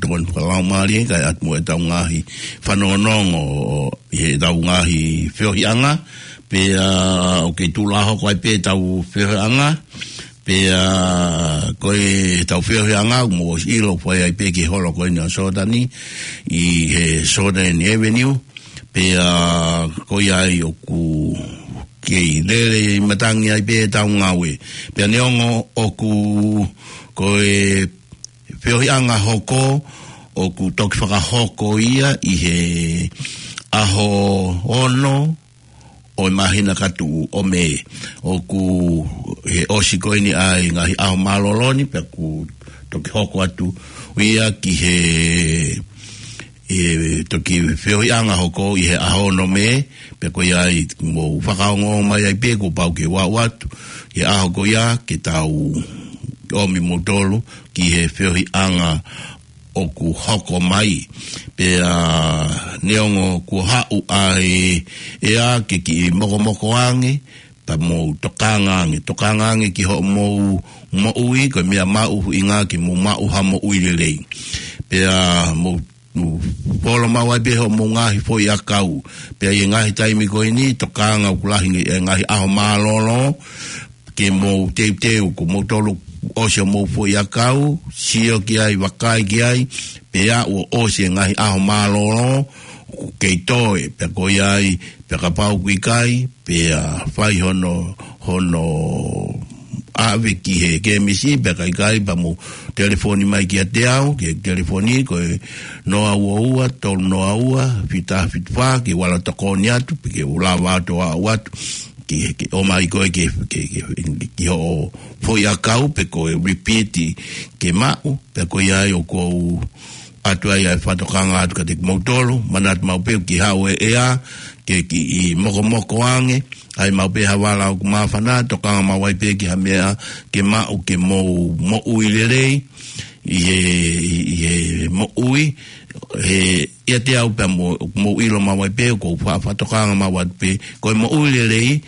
tokoni fakalaumālie, kae ʻatu mo ʻetau ngaahi fanongonongo ʻi heʻetau ngaahi feohiʻanga. Pea ʻoku kei tuʻu lā hoko ai pē ʻetau feohiʻanga. Pea ko ʻetau feohiʻanga, ʻoku mou ʻosi ʻilo, fai ai pē ki he holo ko eni ʻo Sōtani, ʻi he Sōtani Avenue. Pea ko ia ai ʻoku kei lele ʻi matangi ai pē ʻetau ngāue. Pea neongo ʻoku, ko e feohiʻanga hoko, ʻoku toki fakahoko ia ʻi he ʻaho ono ʻo e māhina ka tuʻu ʻo Mē. ʻOku he ʻosi ko eni ʻa e ngaahi ʻaho mālōlō ni, pea ʻoku toki hoko atu ia ki he, ʻe toki feohiʻanga hoko ʻi he ʻaho ono Mē, pea ko ia ai mou fakaongo mai ai pē kuo pau ke u aʻu atu ʻi he ʻaho ko ia ke tau ʻomi moutolu ki he feohiʻanga ʻoku hoko mai. Pea neongo kuo haʻu ʻa e ʻea ke kiʻi mokomoko ange, pea mou tokanga ange, tokanga ange ki hoʻomou moʻui, ko e meʻa mahuʻinga ke mou maʻu ha moʻui lelei. Pea mou mou folo maʻu ai pē hoʻomou ngaahi foʻi ʻakau. Pea ʻi he ngaahi taimi ko eni, tokanga ʻoku lahi e ngaahi ʻaho mālōlō, ke mou teuteu, ko moutolu ʻosi hoʻomou foʻi ʻakau, sio ki ai, vakai ki ai, pea ʻoku ʻosi e ngaahi ʻaho mālōlō, ʻoku kei toe, pea ko ia ai, pea kapau ʻoku ʻikai, pea fai hono, hono ʻave ki he kēmisi, pea ka ʻikai, pea mou telefoni mai kiate au, ki he telefoni, ko e noa ua ua, tolu noa ua, fitu fitu fā, ke u ala tokoni atu, pe ke u lava atu ʻo aʻu atu, ke, ke ʻomai koe ke, ke, ke, ki hoʻo foʻi ʻakau, pe ko e repeat ke maʻu, pea ko ia ai ʻoku ou ʻoatu ai ʻa e fakatokanga atu kiate kimoutolu, manatu maʻu pē ʻoku kei haʻu e ʻea, ke kiʻi mokomoko ange, ʻai maʻu pē ha vala ʻoku māfana, tokanga maʻu ai pē ki ha meʻa ke maʻu ke mou moʻui lelei, ʻi he, ʻi he moʻui, he ʻiate au pea mou, mou ʻilo maʻu ai pē, ʻoku ou fa-, fakatokanga maʻu atu pē, ko e moʻui lelei,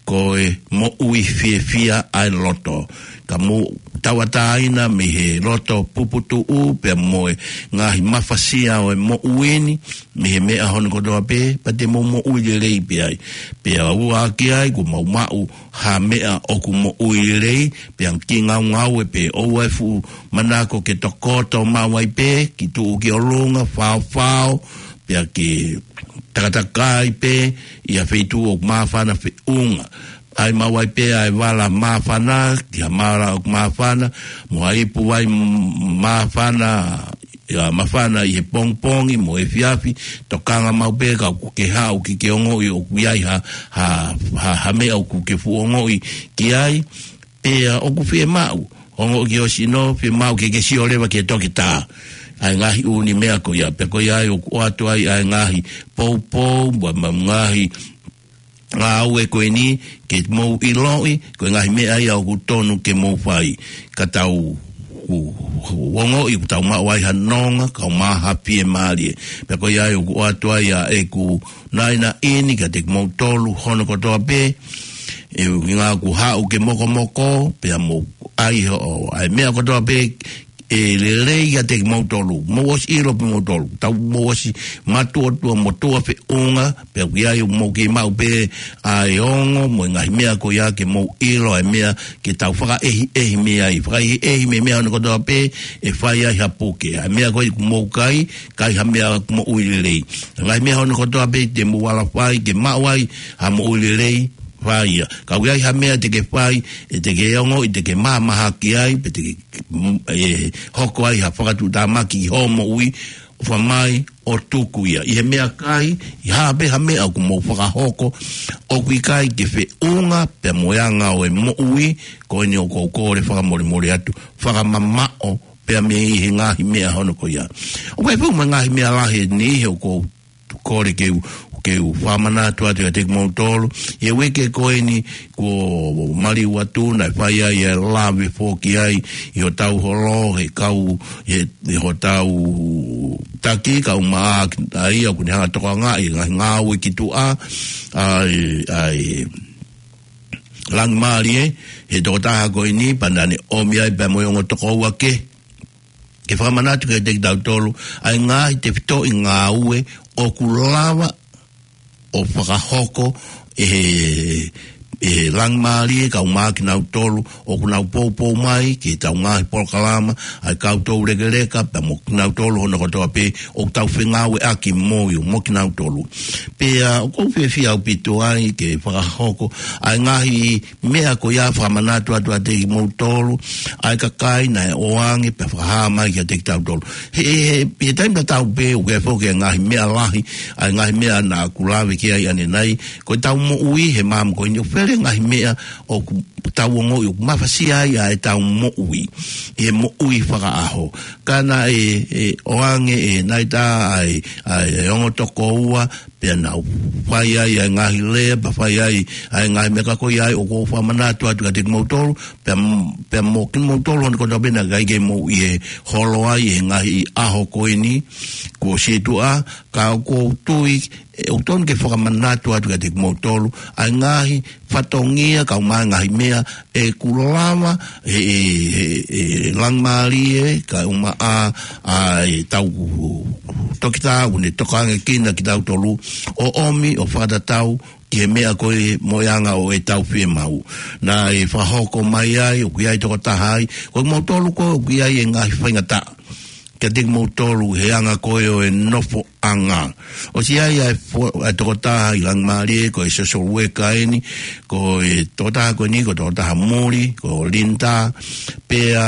ko e moʻui fiefia ʻa e loto. Ka mou tauʻatāina mei he loto puputuʻu, pea mo e ngaahi mafasia ʻo e moʻui ni, mei he meʻa hono kotoa pē, pea te mou moʻui lelei pē ai. Pea ua ki ai, kuo mau maʻu ha meʻa ʻoku moʻui lelei, pea ki ngaungaue pē ʻoua ʻe fuʻu manako ke tokoto maʻu ai pē, ke tuʻu ki ʻolunga, faofao, pea ke takatakai pē ʻi ha feituʻu ʻoku māfana feʻunga. ʻAi maʻu ai pē ʻa e vala māfana, ki ha vala ʻoku māfana, mo ha ipu vai m-, māfana, ʻa, māfana ʻi he pongipongi, mo e efiafi, tokanga maʻu pē ka ʻoku ke haʻu ke ke ongoʻi ʻoku ʻi ai ha, ha, ha, ha meʻa ʻoku ke fuʻu ongoʻi ki ai, pea ʻoku fiemaʻu, ongoʻi ki ho sino, fiemaʻu ke ke sio leva ki he toketā. ʻA e ngaahi ʻū meʻa ko ia, pea ko ia ai ʻoku ʻoatu ai ʻa e ngaahi poupou, mo e ngaahi ngāue ko eni, ke mou ʻiloʻi, ko e ngaahi meʻa ia ʻoku tonu ke mou fai. Ka tau, ʻoku, ʻoku ongoʻi, ʻoku tau maʻu ai ha nonga, kae ʻumaʻā ha fiemālie. Pea ko ia ai ʻoku ʻoatu ai ʻa ʻeku naʻinaʻi ni kiate kimoutolu hono kotoa pē, ʻuhinga ʻoku haʻu ke mokomoko, pea mou ʻai hoʻo, ʻa e meʻa kotoa pē, ʻe lelei kiate kimoutolu, mou ʻosi ʻilo pē moutolu, tau mou ʻosi mātuʻa tuʻa mo tuʻa feʻunga, pea ʻoku ʻi ai ʻoku mou kei maʻu pē ʻa e ongo, mo e ngaahi meʻa ko ia ke mou ʻilo, ʻa e meʻa ke tau fakaʻehiʻehi mei ai, fakaʻehiʻehi mei he meʻa hono kotoa pē, ʻe fai ai ha puke, ʻa e meʻa ko ia ʻoku mou kai, kai ha meʻa ʻoku moʻui lelei. Ngaahi meʻa hono kotoa pē te mou ala fai, ke maʻu ai ha moʻui lelei, fai ia. Ka ʻoku ʻi ai ha meʻa te ke fai, ʻe te ke ongoʻi, te ke mahamahaki ai, pe te ke, mm, ʻe hoko ai ha fakatuʻutāmaki ki hoʻo moʻui, fai mai ʻo tuku ia. ʻI he meʻakai, ʻi ha pē ha meʻa ʻoku mou fakahoko, ʻoku ʻikai ke feʻunga pea mo e anga ʻo e moʻui, ko eni ʻoku ou kole fakamolemole atu, fakamamaʻo pea mei he ngaahi meʻa hono ko ia. ʻOku ʻi ai foki mo e ngaahi meʻa lahi ʻe niʻihi ʻoku ou kole ke u, ke u fakamanatu atu kiate kimoutolu. ʻI he uike ko eni kuo maliu atu naʻe fai ai e lave foki ai ʻi hotau holo, he kau, he, he hotau taki, kau maʻa ki ai, ʻoku ne hanga tokangaʻi e ngaahi ngāue ki tuʻa, ʻa e, ʻa e Langimālie, he tokotaha ko eni, pea naʻa ne ʻomi ai pea mo e ongo tokoua kehe. Ke fakamanatu kiate kitautolu, ʻa e ngaahi tefitoʻi ngāue ʻoku lava ʻo fakahoko ʻe he, ʻe he Langimālie, kau maʻa kinautolu, ʻoku nau poupou mai ki heʻetau ngaahi polokalama, ʻa e kau toulekeleka, pea mo kinautolu hono kotoa pē, ʻoku tau fengāueʻaki mo ia, mo kinautolu. Pea, ʻoku ou fiefia ʻaupito ai ke fakahoko, ʻa e ngaahi meʻa ko ia fakamanatu atu kiate kimoutolu, ʻa e kakai naʻe ʻoange pea fakahā mai kiate kitautolu. He, he, he, he taimi tatau pē, ʻoku ʻi ai foki e ngaahi meʻa lahi, ʻa e ngaahi meʻa naʻa ku lave ki ai ʻanenai, ko ʻetau moʻui he māmani ko eni ʻoku fele ngaahi meʻa ʻoku tau ongoʻi ʻoku mafasia ai ʻa ʻetau moʻui, ʻi he moʻui fakaʻaho. Ka naʻe, ʻe, ʻoange ʻe Naita ʻa e, ʻa e ongo tokoua, pea nau fai ai ʻa e ngaahi lea, pea fai ai ʻa e ngaahi meʻa ka ko ia ai ʻoku ou fakamanatu atu kiate kimoutolu, pea, pea mo kimoutolu hono kotoa pē naʻe ʻikai ke mou ʻi he holo ai he ngaahi ʻaho ko eni kuo situʻa, ka ʻoku ou tui, ʻe, ʻoku tonu ke fakamanatu atu kiate kimoutolu, ʻa e ngaahi fatongia kau mai ngaahi meʻa ʻe kulava, he, he, he, he Langimālie, kau maʻa, ʻa e tau toketā, ʻoku ne tokangaʻi kinautolu, ʻo ʻomi, ʻo fakatatau, ki he meʻa ko ē mo e anga ʻo ʻetau fiemaʻu. Naʻe fakahoko mai ai, ʻoku ʻi ai tokotaha ai, ko kimoutolu ko ē, ʻoku ʻi ai e ngaahi faingataʻa kiate kimoutolu he anga ko ē ʻo e nofoʻanga. ʻOsi ʻi ai ʻa e fo-, ʻa e tokotaha ʻi Langimālie, ko e social worker eni, ko e tokotaha ko eni, ko e tokotaha muli, ko Linda, pea,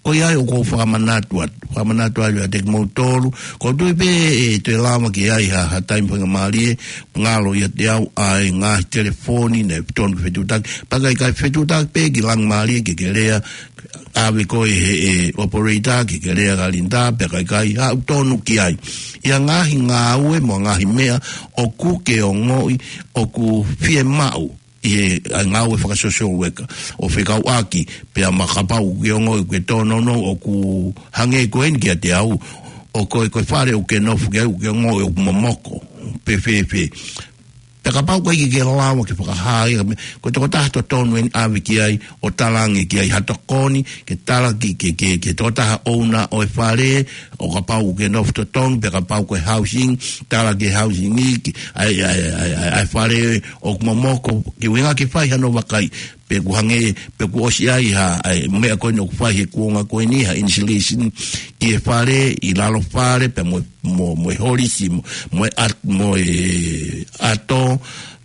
ko ia ai ʻoku ou fakamanatu atu, fakamanatu atu kiate kimoutolu, ʻoku ou tui pē ʻe toe lava ke ʻi ai ha, ha taimi faingamālie, ngalo ʻiate au ʻa e ngaahi telefoni, naʻe tonu ke fetuʻutaki, pea ka ʻikai fetuʻutaki pē ki Langimālie ke ke lea, ʻave koe he, ʻe, operator ke ke lea kia Linda, pea ka ʻikai, ʻa ʻoku tonu ki ai. ʻI he ngaahi ngāue mo e ngaahi meʻa ʻoku ke ongoʻi, ʻoku fiemaʻu ʻi he, ʻa e ngāue faka-social worker, ʻo fekauʻaki, pea mahalo kapau ʻoku ke ongoʻi ʻoku ke tōnounou ʻoku hangē ko eni kiate au, ʻo ko e, ko e fale ʻoku ke nofo ki ai ʻoku ke ongoʻi ʻoku momoko, pe fēfē. Pea kapau ʻoku ʻikai ke ke lava ke fakahā ia, ko e tokotaha totonu eni ʻave ki ai, ʻo talaange ki ai ha tokoni, ke tala ki, ke, ke, ke tokotaha ʻouna ʻo e fale, ʻo kapau ʻoku ke nofo totonu, pea kapau ko e housing, tala ki he housing ʻi, ki, ʻa e, ʻa e, ʻa e, ʻa e, ʻa e fale ʻoku momoko, ke ʻuhinga ke fai hano vakai, pe ʻoku hangē, pe ʻoku ʻosi ʻi ai ha, ʻa e meʻa ko eni ʻoku fai he kuonga ko eni, ha insulation, ki he fale, ʻi lalo fale, pea mo e mo, mo e holisi, mo, mo e ʻat-, mo e ʻato,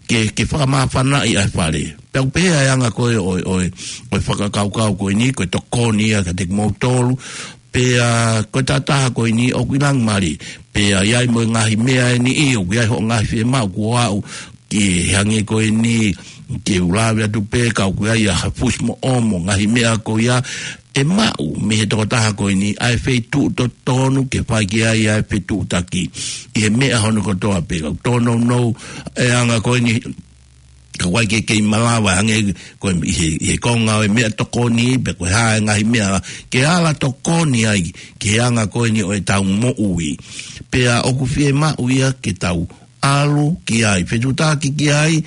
ke, ke fakamāfanaʻi ʻa e fale. Pea ʻoku pehē ʻa e anga ko ē ʻo, ʻo, ʻo e fakakaukau ko eni, ko e tokoni ia kiate kimoutolu, pea ko e tokotaha ko eni ʻoku ʻi Langimālie. Pea ʻi ai mo e ngaahi meʻa eni ʻi, ʻoku ʻi ai hoʻo ngaahi fiemaʻu kuo aʻu, ke hangē ko eni, ke u lave atu pē, ka ʻoku ʻi ai ha fusi moʻomo, ngaahi meʻa ko ia, ʻe maʻu mei he tokotaha ko eni, ʻa e feituʻu totonu ke fai ki ai ʻa e fetuʻutaki. ʻI he meʻa hono kotoa pē, ka ʻoku tōnounou e anga ko eni, ka ʻoku ʻikai ke kei malava, hangē ko e ʻi he, ʻi he konga ʻo e meʻa tokoni, pe ko e hā e ngaahi meʻa, ke ala tokoni ai, ki he anga ko eni ʻo ʻetau moʻui. Pea ʻoku fiemaʻu ia ke tau ʻalu ki ai, fetuʻutaki ki ai,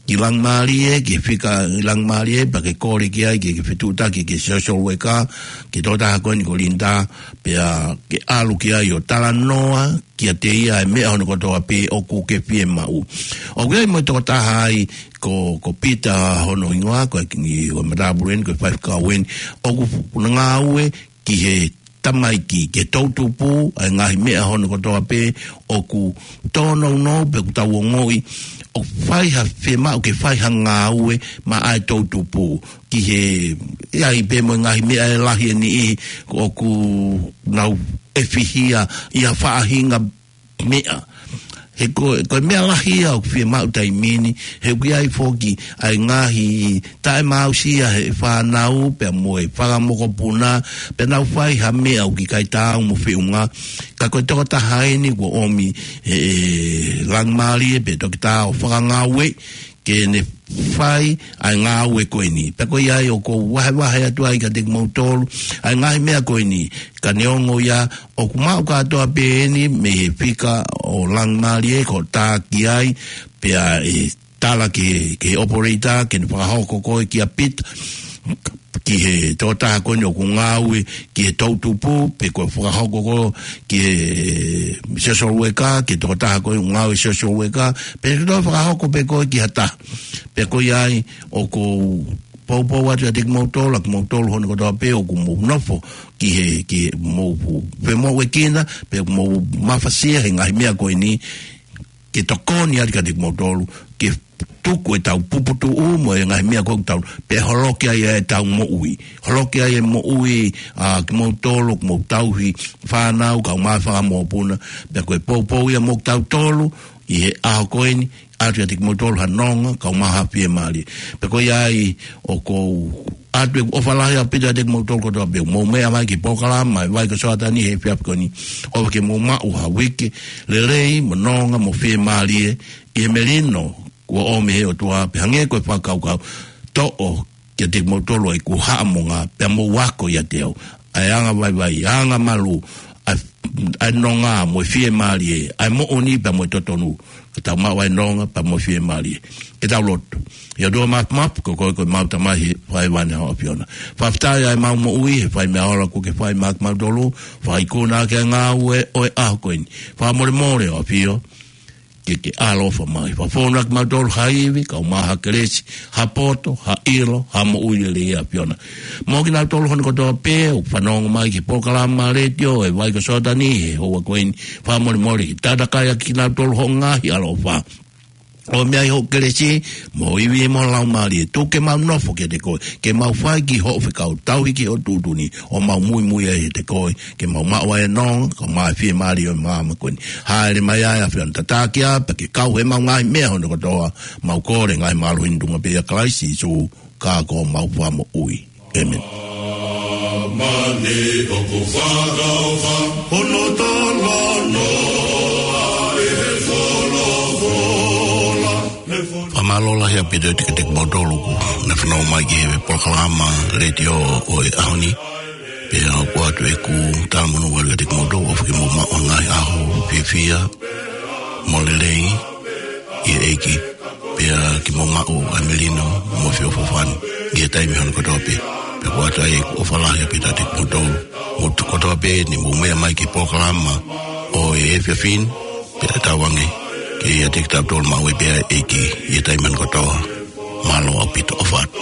ki Langimālie, ki he fika ʻi Langimālie, pea ke kole ki ai, ke, ke fetuʻutaki, ki he social worker, ki he tokotaha ko eni ko Linda, pea ke ʻalu ki ai ʻo talanoa, kiate ia e meʻa hono kotoa pē ʻoku ke fiemaʻu. ʻOku ʻi ai mo e tokotaha ai, ko, ko Peter hono hingoa, ko e kingi, ko e matāpule eni, ko e faifekau eni, ʻoku ngāue, ki he tamaiki, ki he toʻutupu, ʻa e ngaahi meʻa hono kotoa pē, ʻoku tōnounou pe ʻoku tau ongoʻi, ʻoku fai ha fiemaʻu ke fai ha ngāue maʻa e toʻutupu, ki he, ʻi ai pē mo e ngaahi meʻa ʻe lahi eni ʻi, ʻoku nau ʻe fihia ʻi ha faʻahinga meʻa. He ko, ko e meʻa lahi ia ʻoku fiemaʻu taimi ni, he ʻoku ʻi ai foki ʻa e ngaahi taʻemāusia he fānau, pea mo e fanga mokopuna, pea nau fai ha meʻa ʻoku ʻikai taau mo feʻunga. Ka ko e tokotaha eni kuo ʻomi ʻe, ʻe Langimālie pē Toketā ʻo Fakangāue, ke ne fai ʻa e ngāue ko eni. Pea ko ia ai ʻoku ou vahevahe atu ai kiate kimoutolu ʻa e ngaahi meʻa ko eni. Ka neongo ia ʻoku maʻu kātoa pē eni mei he fika ʻo Langimālie ko e tā ki ai, pea ʻe tala ki he, ki he operator, ke ne fakahoko ko ē kia Pita, ki he tokotaha ko eni ʻoku ngāue ki he toʻutupu, pe ko e fakahoko ko ē ki he social worker, ki he tokotaha ko ē ʻoku ngāue social worker, pe ko e fakahoko pē ko ē ki ha taha. Pea ko ia ai ʻoku ou poupou atu kiate kimoutolu, ʻa kimoutolu hono kotoa pē ʻoku mou nofo ki he, ki he mou fu-, femoʻuekina, pe mou mafasia he ngaahi meʻa ko eni, ke tokoni atu kiate kimoutolu, ke tuku ʻetau puputuʻu mo e ngaahi meʻa ko ē ʻoku tau, pea holoki ai ʻetau moʻui. Holoki ai e moʻui ʻa kimoutolu, ʻoku mou tauhi fānau, kaeʻumaʻā e fanga mokopuna, pea ko e poupou ia mo kitautolu ʻi he ʻaho ko eni, ʻoatu kiate kimoutolu ha nonga, kaeʻumaʻā ha fiemālie. Pea ko ia ai ʻoku ou ʻoatu ʻeku ʻofa lahi ʻaupito kiate kimoutolu kotoa pē ʻoku mou meʻa mai ki he polokalama ʻa e Vai ko Soatani he efiafi ko eni. ʻOfa ke mou maʻu ha uike lelei mo nonga mo fiemālie ʻi he melino kuo ʻomi ʻe he ʻOtua, pea hangē ko e fakakaukau, toʻo kiate kimoutolu ʻa e ʻeku haʻamonga, pea mou ako ʻiate au ʻa e angavaivai, angamalu, ʻa e, ʻa e nonga mo e fiemālie, ʻa e moʻoni pea mo e totonu. Ka tau maʻu ʻa e nonga pea mo e fiemālie. Ke tau lotu. ʻE ʻOtua Mafimafi, ko koe ko ʻemau Tamai ʻi he fai vane ʻa e ʻAfiona. Fakafetaʻi ʻa ʻemau moʻui, he fai meʻa ʻoku ke fai maʻa kimautolu, fakaikuna ʻaki ʻa e ngāue ʻo e ʻaho ko eni. Fakamolemole ʻo ʻAfio, ke ke ʻaloʻofa mai. Fakafonu ʻaki kimautolu ha ivi, kaeʻumaʻā ha kelesi, ha poto, ha ʻilo, ha moʻui lelei ʻa e ʻAfiona. Mo kinautolu hono kotoa pē ʻoku fanongo mai ki he polokalama letiō ʻa e Vai ko Soatani he houa ko eni, fakamolemole ke tatakai ʻaki kinautolu ho ngaahi ʻaloʻofa. ʻOmai hoʻo kelesi, mo e ivi mo e Laumālie, tuku ke mau nofo kiate koe, ke mau fai ki hoʻo fekau, tauhi ki hoʻo tuʻutuʻuni, ʻo mau muimui ai kiate koe, ke mau maʻu ʻa e nonga, kaeʻumaʻā e fiemālie ʻo e māmani ko eni. Hāʻele mai ʻa e ʻAfiona, tataki ā, pea ke kau he ʻemau ngaahi meʻa hono kotoa, mau kole ngaahi mālohi ni ʻi he tuʻunga pē ʻia Kalaisi Sīsū, ka ko homau Fakamoʻui. ʻĒmeni. Mani ʻoku fakaʻofa, hono talanoa ʻi he folofola. Fakamālō lahi ʻaupito kiate kimoutolu ʻoku ne fanongo mai ki he polokalama letiō ʻo e ʻaho ni. Pea ʻoku ʻoatu ʻeku talamonū atu kiate kimoutolu, ʻofa ke mou maʻu ha ngaahi ʻaho fiefia mo lelei ʻi he ʻEiki. Pea ke mou maʻu ʻa e melino mo e feʻofoʻofani ʻi he taimi hono kotoa pē. Pea ʻoku ʻoatu ai ʻeku ʻofa lahi ʻaupito kiate kimoutolu. Mou kotoa pē ʻoku mou meʻa mai ki he polokalama ʻo e efiafi ni, pea tauange ke ʻiate kitautolu maʻu ai pē ʻa e ʻEiki ʻi he taimi hono kotoa. Mālō ʻaupito, ʻofa atu.